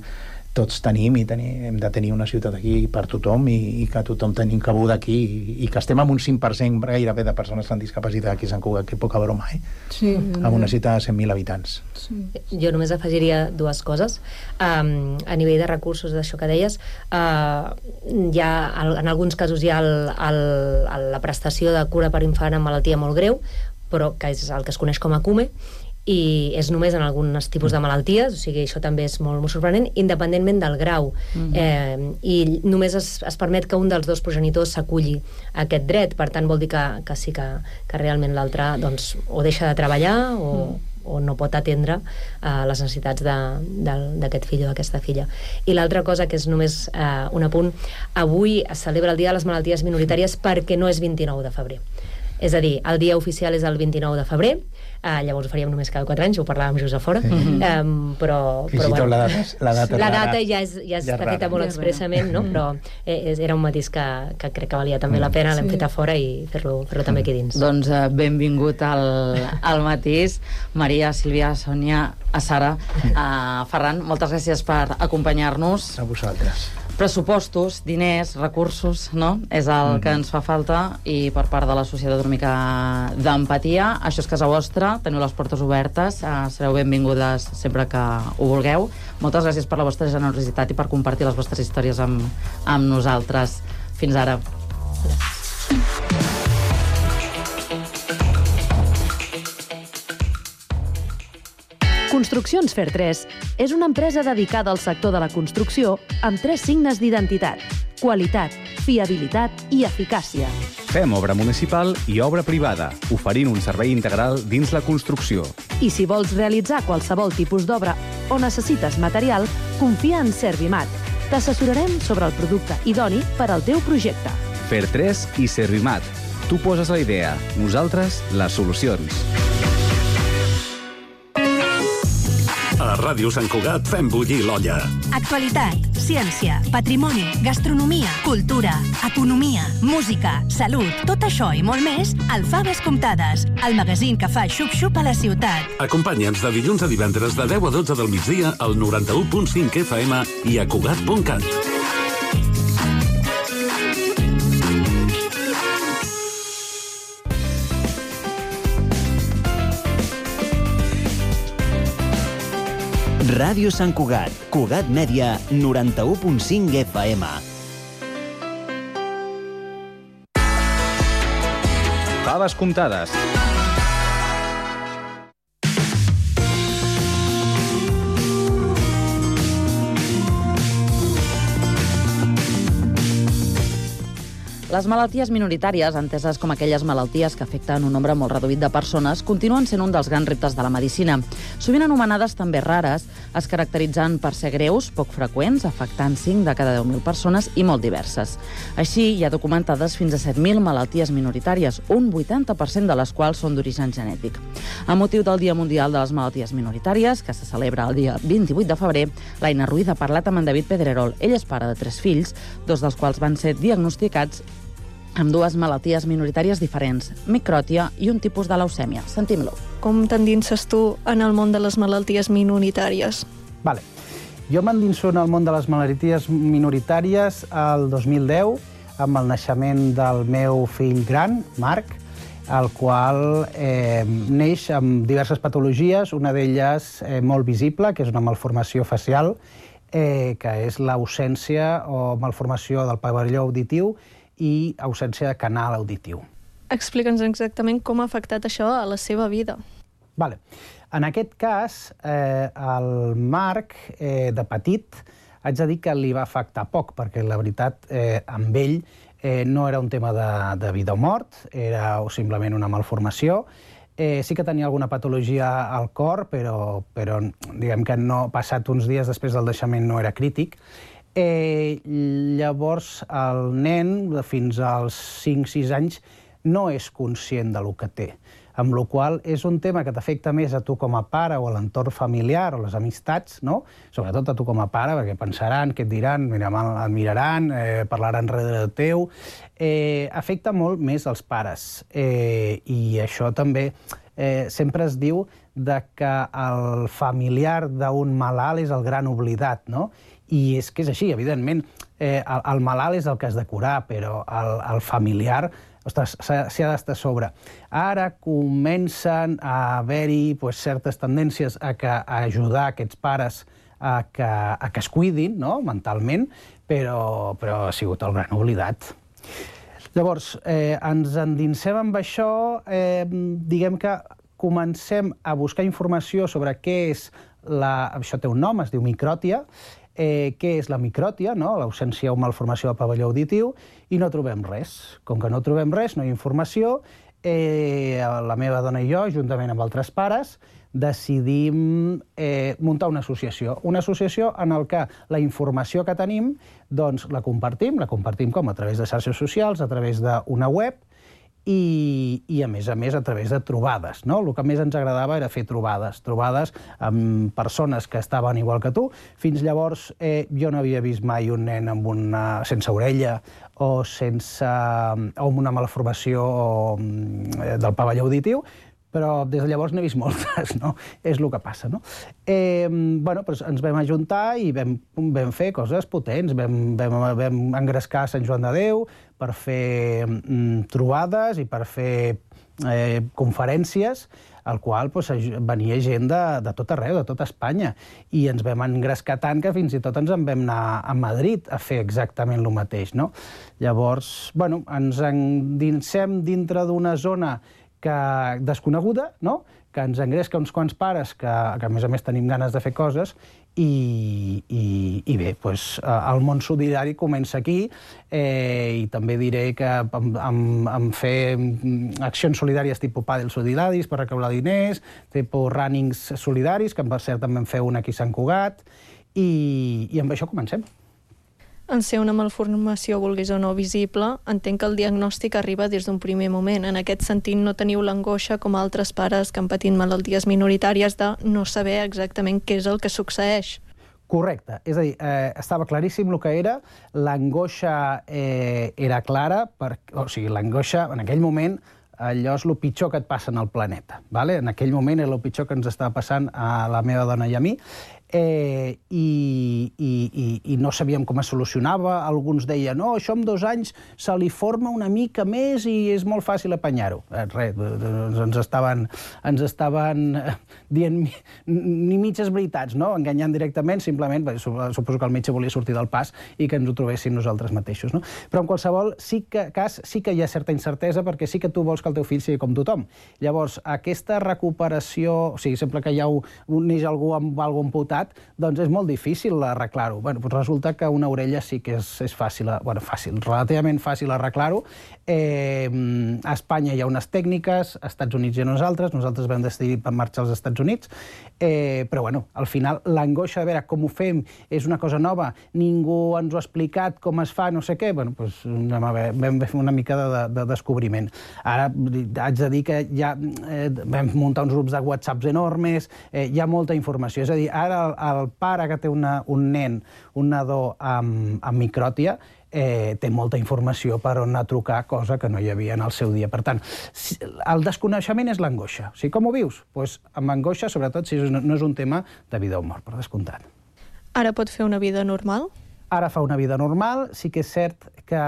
tots tenim i hem de tenir una ciutat aquí per tothom i que tothom tenim cabuda aquí i que estem amb un 5% gairebé de persones amb discapacitat aquí a Sant Cugat, que poca broma,
Sí.
Amb una ciutat de 100.000 habitants.
Sí.
Jo només afegiria dues coses. A nivell de recursos, d'això que deies, en alguns casos hi ha la prestació de cura per infant amb malaltia molt greu, però que és el que es coneix com a CUME, i és només en alguns tipus de malalties, o sigui, això també és molt, molt sorprenent, independentment del grau. I només es permet que un dels dos progenitors s'aculli a aquest dret, per tant vol dir que sí que realment l'altre doncs, o deixa de treballar o no pot atendre les necessitats d'aquest fill o d'aquesta filla. I l'altra cosa, que és només un apunt, avui es celebra el Dia de les Malalties Minoritàries perquè no és 29 de febrer. És a dir, el dia oficial és el 29 de febrer, llavors ho faríem només cada 4 anys, ho parlàvem just a fora, però
bueno, la data
ja està feta molt expressament, no? Però era un matís que crec que valia també la pena, l'hem fet a fora i fer-lo també aquí dins.
Doncs benvingut al matís. Maria, Sílvia, Sònia, a Sara, Ferran, moltes gràcies per acompanyar-nos.
A vosaltres.
Pressupostos, diners, recursos, no? És el que ens fa falta, i per part de la societat una mica d'empatia. Això és casa vostra, teniu les portes obertes, sereu benvingudes sempre que ho vulgueu. Moltes gràcies per la vostra generositat i per compartir les vostres històries amb nosaltres. Fins ara.
Construccions Fer 3 és una empresa dedicada al sector de la construcció amb 3 signes d'identitat: qualitat, fiabilitat i eficàcia.
Fem obra municipal i obra privada, oferint un servei integral dins la construcció.
I si vols realitzar qualsevol tipus d'obra o necessites material, confia en Servimat. T'assessorarem sobre el producte idoni per al teu projecte.
Fer 3 i Servimat. Tu poses la idea, nosaltres les solucions.
A Ràdio Sant Cugat fem bullir l'olla.
Actualitat, ciència, patrimoni, gastronomia, cultura, economia, música, salut, tot això i molt més al Faves Comptades, el magazín que fa xup-xup a la ciutat.
Acompanya'ns de dilluns a divendres de 10 a 12 del migdia al 91.5 FM i a Cugat.cat.
Ràdio Sant Cugat, Cugat Mèdia, 91.5 FM.
Faves comptades.
Les malalties minoritàries, enteses com aquelles malalties que afecten un nombre molt reduït de persones, continuen sent un dels grans reptes de la medicina. Sovint anomenades també rares, es caracteritzen per ser greus, poc freqüents, afectant 5 de cada 10.000 persones i molt diverses. Així, hi ha documentades fins a 7.000 malalties minoritàries, un 80% de les quals són d'origen genètic. A motiu del Dia Mundial de les Malalties Minoritàries, que se celebra el dia 28 de febrer, l'Aina Ruiz ha parlat amb en David Pedrerol. Ell és pare de 3 fills, 2 dels quals van ser diagnosticats amb 2 malalties minoritàries diferents, micròtia i un tipus de leucèmia. Sentim-lo.
Com t'endinses tu en el món de les malalties minoritàries?
Vale. Jo m'endinso en el món de les malalties minoritàries el 2010, amb el naixement del meu fill gran, Marc, el qual neix amb diverses patologies, una d'elles molt visible, que és una malformació facial, que és l'ausència o malformació del pavelló auditiu i ausència de canal auditiu.
Explica'ns exactament com ha afectat això a la seva vida.
Vale. En aquest cas, el Marc, de petit, haig de dir que li va afectar poc, perquè la veritat, amb ell no era un tema de vida o mort, era simplement una malformació. Sí que tenia alguna patologia al cor, però diguem que no, passat uns dies després del naixement no era crític. Llavors, el nen, fins als 5-6 anys, no és conscient del que té, amb la qual cosa és un tema que t'afecta més a tu com a pare o a l'entorn familiar o les amistats, no? Sobretot a tu com a pare, perquè pensaran, què et diran, et miraran, parlaran darrere teu. Afecta molt més als pares. I això també sempre es diu que el familiar d'un malalt és el gran oblidat, no?
I és que és així, evidentment, el malalt és el que has de curar, però el familiar, ostres, s'hi ha d'estar a sobre. Ara comencen a haver-hi certes tendències a ajudar aquests pares a que es cuidin, no?, mentalment, però ha sigut el gran oblidat. Llavors, ens endinsem amb això, diguem que comencem a buscar informació sobre què és això té un nom, es diu micròtia, què és la micròtia, l'ausència o malformació del pavelló auditiu, i no trobem res. Com que no trobem res, no hi ha informació, la meva dona i jo, juntament amb altres pares, decidim muntar una associació en què la informació que tenim doncs la compartim com a través de xarxes socials, a través d'una web i a més a través de trobades. El que més ens agradava era fer trobades amb persones que estaven igual que tu. Fins llavors jo no havia vist mai un nen sense orella o amb una malformació del pavelló auditiu, però des de llavors n'he vist moltes, no? És el que passa, no? Ens vam ajuntar i vam fer coses potents. Vam engrescar Sant Joan de Déu per fer trobades i per fer conferències, al qual venia gent de tot arreu, de tota Espanya, i ens vam engrescar tant que fins i tot ens en vam anar a Madrid a fer exactament el mateix, no? Llavors, ens endinsem dintre d'una zona desconeguda, que ens engresca uns quants pares que a més tenim ganes de fer coses i bé, el món solidari comença aquí i també diré que em fer accions solidàries tipus pàdel solidaris per recaptar diners, tipus runnings solidaris, que per cert també en feu una aquí a Sant Cugat, i amb això comencem.
En ser una malformació, vulguis o no, visible, entenc que el diagnòstic arriba des d'un primer moment. En aquest sentit, no teniu l'angoixa com altres pares que han patit malalties minoritàries de no saber exactament què és el que succeeix.
Correcte. És a dir, estava claríssim el que era. L'angoixa era clara, o sigui, l'angoixa, en aquell moment, allò és el pitjor que et passa en el planeta. En aquell moment era el pitjor que ens estava passant a la meva dona i a mi, i no sabíem com es solucionava. Alguns deien, no, això en 2 anys se li forma una mica més i és molt fàcil apanyar-ho. Res, ens estaven dient ni mitges veritats, no? Enganyant directament, simplement, suposo que el metge volia sortir del pas i que ens ho trobéssim nosaltres mateixos, no? Però en qualsevol cas sí que hi ha certa incertesa, perquè sí que tu vols que el teu fill sigui com tothom. Llavors, aquesta recuperació, o sigui, sempre que neix algú amb alguna cosa amputat, doncs és molt difícil arreglar-ho. Resulta que una orella sí que és fàcil, relativament fàcil arreglar-ho. A Espanya hi ha unes tècniques, als Estats Units hi ha nosaltres vam decidir marxar als Estats Units, però al final l'angoixa de veure com ho fem és una cosa nova, ningú ens ho ha explicat com es fa, no sé què, vam fer una mica de descobriment. Ara haig de dir que ja vam muntar uns grups de WhatsApps enormes, hi ha molta informació, és a dir, ara el pare que té un nen, un nadó amb micròtia, té molta informació per on anar a trucar, cosa que no hi havia en el seu dia. Per tant, el desconeixement és l'angoixa. O sigui, com ho vius? Doncs amb angoixa, sobretot si no és un tema de vida o mort, per descomptat.
Ara pot fer una vida normal?
Ara fa una vida normal. Sí que és cert que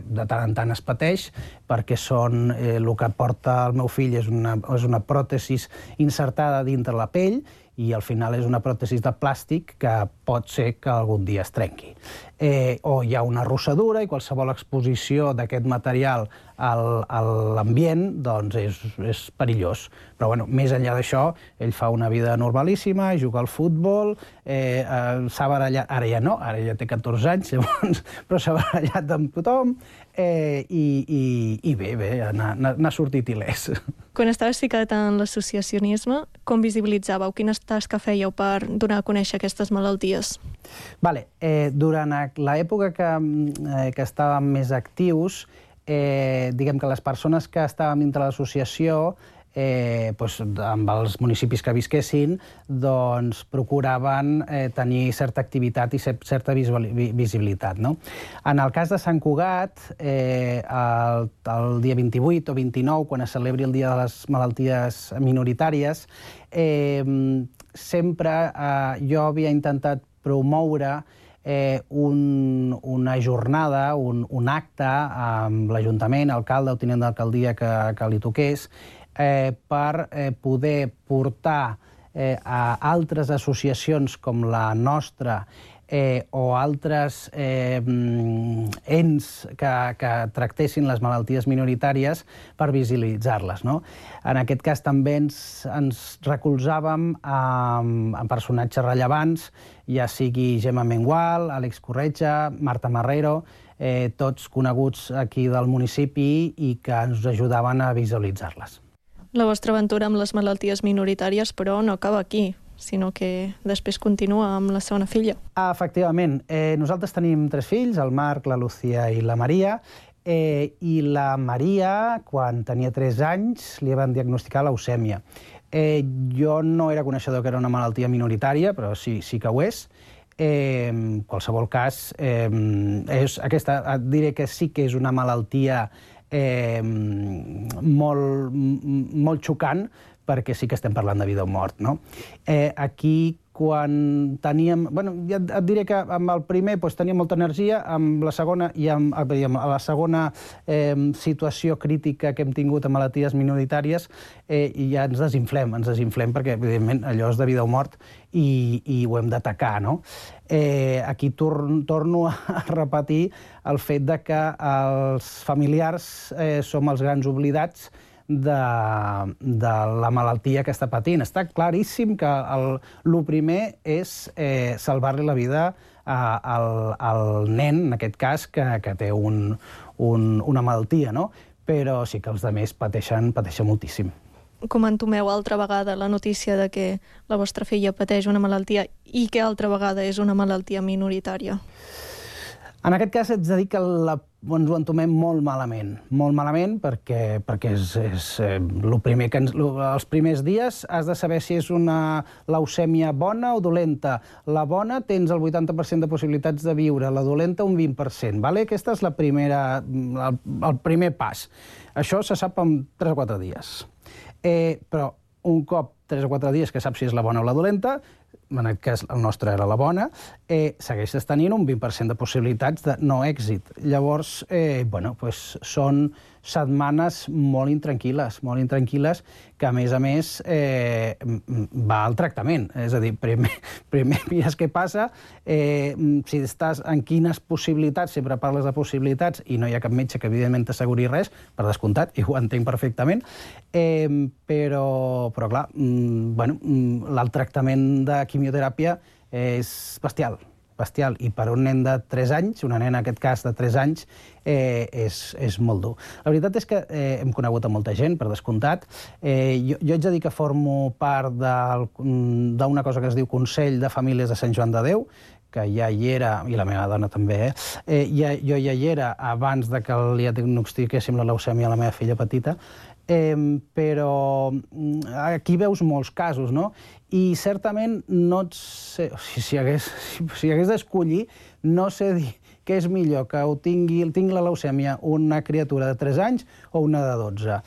de tant en tant es pateix, perquè el que porta el meu fill és una pròtesi insertada dintre la pell, i al final és una pròtesi de plàstic que pot ser que algun dia es trenqui. O hi ha una arrossadura i qualsevol exposició d'aquest material a l'ambient doncs és perillós. Però més enllà d'això, ell fa una vida normalíssima, juga al futbol, s'ha barallat, ara ja no, ara ja té 14 anys, però s'ha barallat amb tothom i bé, n'ha sortit il·lès.
Quan estaves ficat en l'associacionisme, com visibilitzàveu? Quines tasques fèieu per donar a conèixer aquestes malalties?
Durant l'època que estàvem més actius, diguem que les persones que estàvem dintre l'associació, amb els municipis que visquessin, doncs procuraven tenir certa activitat i certa visibilitat. En el cas de Sant Cugat, el dia 28 o 29, quan es celebri el Dia de les Malalties Minoritàries, sempre jo havia intentat promoure una jornada, un acte amb l'Ajuntament, alcalde o tinent d'alcaldia que li toqués, per poder portar a altres associacions com la nostra o altres ens que tractessin les malalties minoritàries per visibilitzar-les. En aquest cas també ens recolzàvem en personatges rellevants, ja sigui Gemma Mengual, Àlex Corretja, Marta Marrero, tots coneguts aquí del municipi i que ens ajudaven a visualitzar-les.
La vostra aventura amb les malalties minoritàries, però, no acaba aquí, sinó que després continua amb la segona filla.
Efectivament. Nosaltres tenim 3 fills, el Marc, la Lucía i la Maria, i la Maria, quan tenia 3 anys, li van diagnosticar leucèmia. Jo no era coneixedor que era una malaltia minoritària, però sí que ho és. En qualsevol cas, diré que sí que és una malaltia molt xocant, perquè sí que estem parlant de vida o mort. Aquí, quan teníem... Ja et diré que amb el primer teníem molta energia, amb la segona i amb la segona situació crítica que hem tingut amb malalties minoritàries, ja ens desinflem, perquè, evidentment, allò és de vida o mort i ho hem d'atacar. Aquí torno a repetir el fet que els familiars som els grans oblidats de la malaltia que està patint. Està claríssim que el primer és salvar-li la vida al nen, en aquest cas, que té una malaltia, però sí que els altres pateixen moltíssim.
Com entomeu altra vegada la notícia de que la vostra filla pateix una malaltia i que altra vegada és una malaltia minoritària?
En aquest cas, haig de dir que ens ho entomem molt malament, perquè és el primer que els primers dies has de saber si és una leucèmia bona o dolenta. La bona tens el 80% de possibilitats de viure, la dolenta un 20%. Aquest és el primer pas. Això se sap en 3 o 4 dies. Però un cop 3 o 4 dies que saps si és la bona o la dolenta, en aquest cas el nostre era la bona, segueixes tenint un 20% de possibilitats de no èxit. Llavors, són setmanes molt intranquil·les, que a més va al tractament. És a dir, primer mires què passa, si estàs en quines possibilitats, sempre parles de possibilitats i no hi ha cap metge que evidentment t'asseguri res, per descomptat, i ho entenc perfectament, però clar, el tractament de quimioteràpia és bestial, i per un nen de 3 anys, una nena en aquest cas de 3 anys, és molt dur. La veritat és que hem conegut a molta gent, per descomptat. Jo haig de dir que formo part d'una cosa que es diu Consell de Famílies de Sant Joan de Déu, que ja hi era, i la meva dona també, jo ja hi era abans que li diagnostiquéssim la leucèmia a la meva filla petita, però aquí veus molts casos, i certament no et sé, si hagués d'escollir, no sé dir què és millor, que tingui la leucèmia una criatura de 3 anys o una de 12.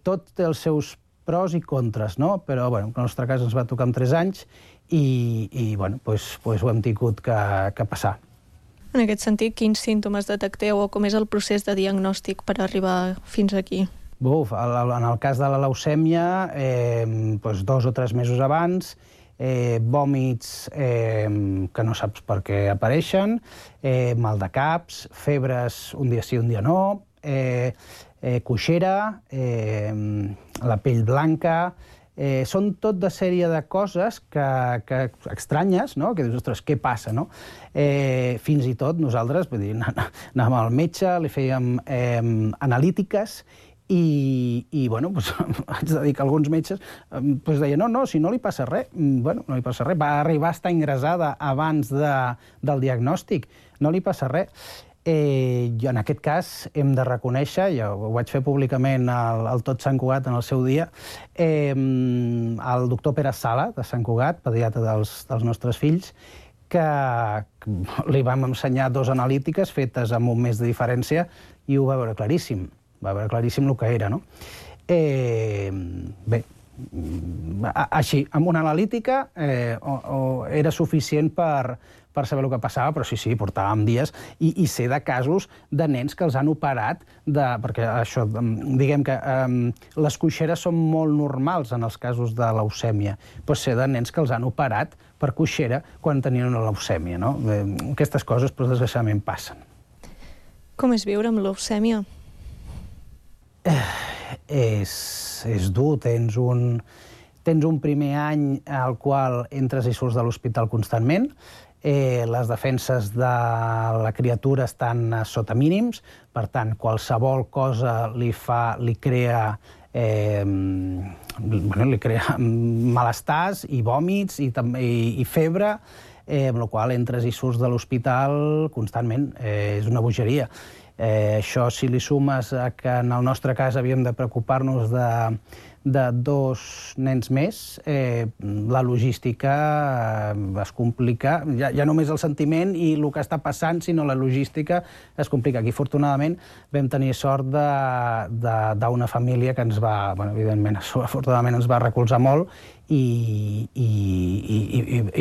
Tot té els seus pros i contres, però en el nostre cas ens va tocar amb 3 anys i ho hem tingut que passar.
En aquest sentit, quins símptomes detecteu o com és el procés de diagnòstic per arribar fins aquí?
En el cas de la leucèmia, 2 o 3 mesos abans, vòmits que no saps per què apareixen, mal de caps, febres un dia sí, un dia no, coixera, la pell blanca. Són tot de sèrie de coses estranyes, que dius, ostres, què passa? Fins i tot nosaltres anàvem al metge, li fèiem analítiques i haig de dir que alguns metges deien, no, si no li passa res. No li passa res, va arribar a estar ingressada abans del diagnòstic, no li passa res. Jo en aquest cas hem de reconèixer, ja ho vaig fer públicament al Tot Sant Cugat en el seu dia, el doctor Pere Sala, de Sant Cugat, pediatre dels nostres fills, que li vam ensenyar 2 analítiques fetes amb un mes de diferència i ho va veure claríssim. Va veure claríssim el que era, Bé, així, amb una analítica era suficient per saber el que passava, però sí, portàvem dies, i sé de casos de nens que els han operat, perquè això, diguem que les coixeres són molt normals en els casos de leucèmia, però sé de nens que els han operat per coixera quan tenien una leucèmia, no? Aquestes coses, però desgraciadament passen.
Com és viure amb leucèmia?
És dur, tens un primer any al qual entres i surts de l'hospital constantment, les defenses de la criatura estan sota mínims, per tant, qualsevol cosa li crea malestars i vòmits i febre, amb la qual entres i surts de l'hospital constantment. És una bogeria. Això, si li sumes que en el nostre cas havíem de preocupar-nos de 2 nens més, la logística es complica. Ja només el sentiment i el que està passant, sinó la logística es complica. Aquí, afortunadament, vam tenir sort d'una família que ens va, evidentment, afortunadament ens va recolzar molt i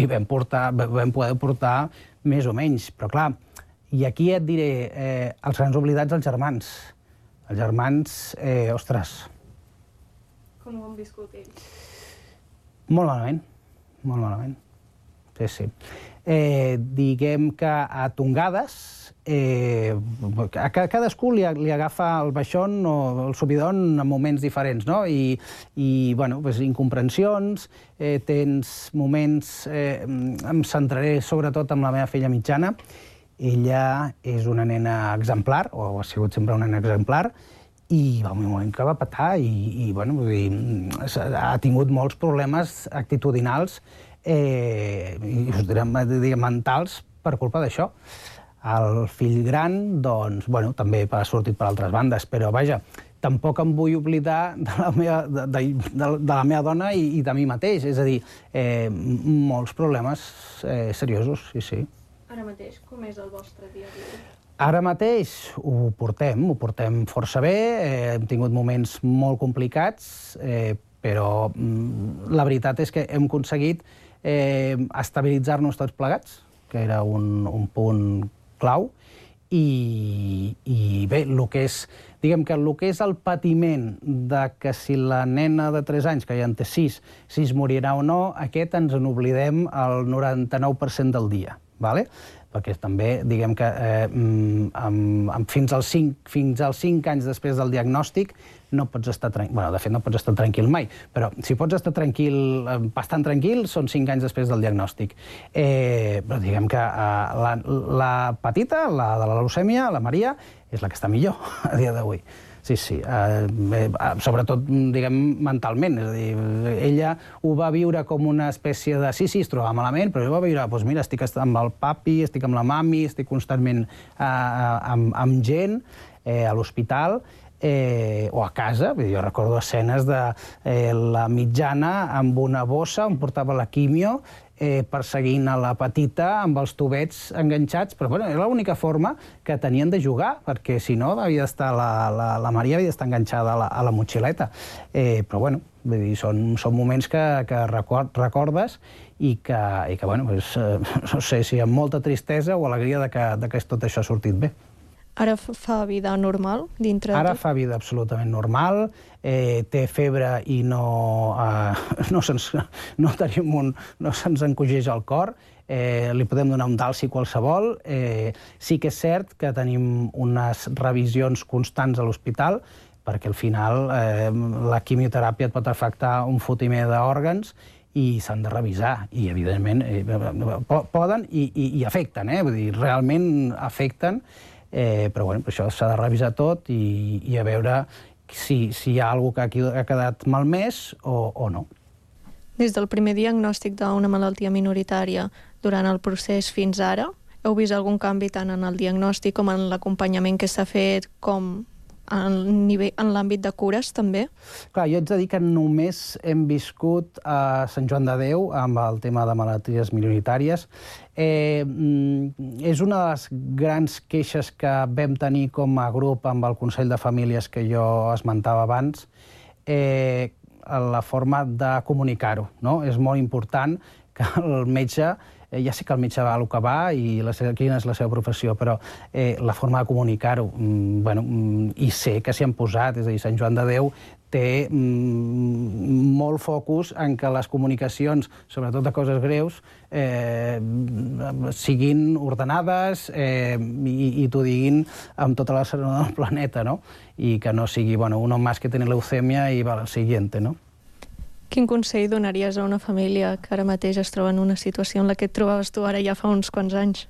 vam poder portar més o menys. Però, clar, i aquí et diré, els grans oblidats, els germans. Els germans, ostres...
Com ho han viscut ells?
Molt malament, molt malament. Sí. Diguem que a tongades, a cadascú li agafa el baixón o el subidon en moments diferents, no? I incomprensions, tens moments... Em centraré sobretot en la meva filla mitjana. Ella és una nena exemplar, o ha sigut sempre una nena exemplar, i va un moment que va petar i ha tingut molts problemes actitudinals i mentals per culpa d'això. El fill gran, doncs, també ha sortit per altres bandes, però vaja, tampoc em vull oblidar de la meva dona i de mi mateix, és a dir, molts problemes seriosos, sí.
Ara mateix, com és el vostre dia a dia?
Ara mateix ho portem força bé, hem tingut moments molt complicats, però la veritat és que hem aconseguit estabilitzar-nos tots plegats, que era un punt clau, i bé, diguem que el que és el patiment de que si la nena de 3 anys, que ja en té 6, si es morirà o no, aquest ens n'oblidem el 99% del dia, d'acord? Perquè també, diguem que fins als 5 anys després del diagnòstic no pots estar tranquil. De fet, no pots estar tranquil mai, però si pots estar bastant tranquil, són 5 anys després del diagnòstic. Però diguem que la petita, la de la leucèmia, la Maria, és la que està millor a dia d'avui. Sí, sobretot, diguem, mentalment. És a dir, ella ho va viure com una espècie de... Sí, es trobava malament, però ella va viure, doncs mira, estic amb el papi, estic amb la mami, estic constantment amb gent a l'hospital o a casa. Jo recordo escenes de la mitjana amb una bossa on portava la quimio, perseguint a la petita amb els tubets enganxats, però era l'única forma que tenien de jugar, perquè si no havia d'estar la Maria havia d'estar enganxada a la motxileta. Però vull dir, són moments que recordes i que no sé si amb molta tristesa o alegria que tot això ha sortit bé.
Ara fa vida normal dintre de tot?
Ara fa vida absolutament normal, té febre i no se'ns encogeix el cor, li podem donar un dalsi qualsevol. Sí que és cert que tenim unes revisions constants a l'hospital, perquè al final la quimioteràpia et pot afectar un fotimer d'òrgans i s'han de revisar, i evidentment poden i afecten, vull dir, realment afecten, però això s'ha de revisar tot i a veure si hi ha alguna cosa que ha quedat malmès o no.
Des del primer diagnòstic d'una malaltia minoritària durant el procés fins ara, heu vist algun canvi tant en el diagnòstic com en l'acompanyament que s'ha fet, com en l'àmbit de cures, també?
Clar, jo haig de dir que només hem viscut a Sant Joan de Déu amb el tema de malalties minoritàries. És una de les grans queixes que vam tenir com a grup amb el Consell de Famílies que jo esmentava abans. la forma de comunicar-ho, no? És molt important que el metge, ja sé que el metge va a lo que va i quina és la seva professió, però la forma de comunicar-ho, i sé que s'hi han posat, és a dir, Sant Joan de Déu té molt focus en que les comunicacions, sobretot de coses greus, siguin ordenades i t'ho diguin amb tota la serenor del planeta, no? I que no sigui, un home más que tiene leucèmia i va al siguiente, no?
Quin consell donaries a una família que ara mateix es troba en una situació en la que et trobaves tu ara ja fa uns quants anys?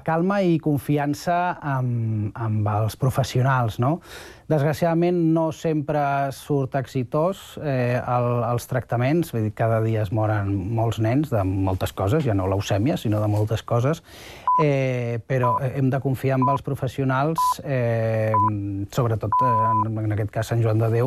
Calma i confiança amb els professionals, no? Desgraciadament no sempre surt exitós els tractaments, vull dir, cada dia es moren molts nens de moltes coses, ja no leucèmia, sinó de moltes coses, però hem de confiar en els professionals, sobretot en aquest cas Sant Joan de Déu,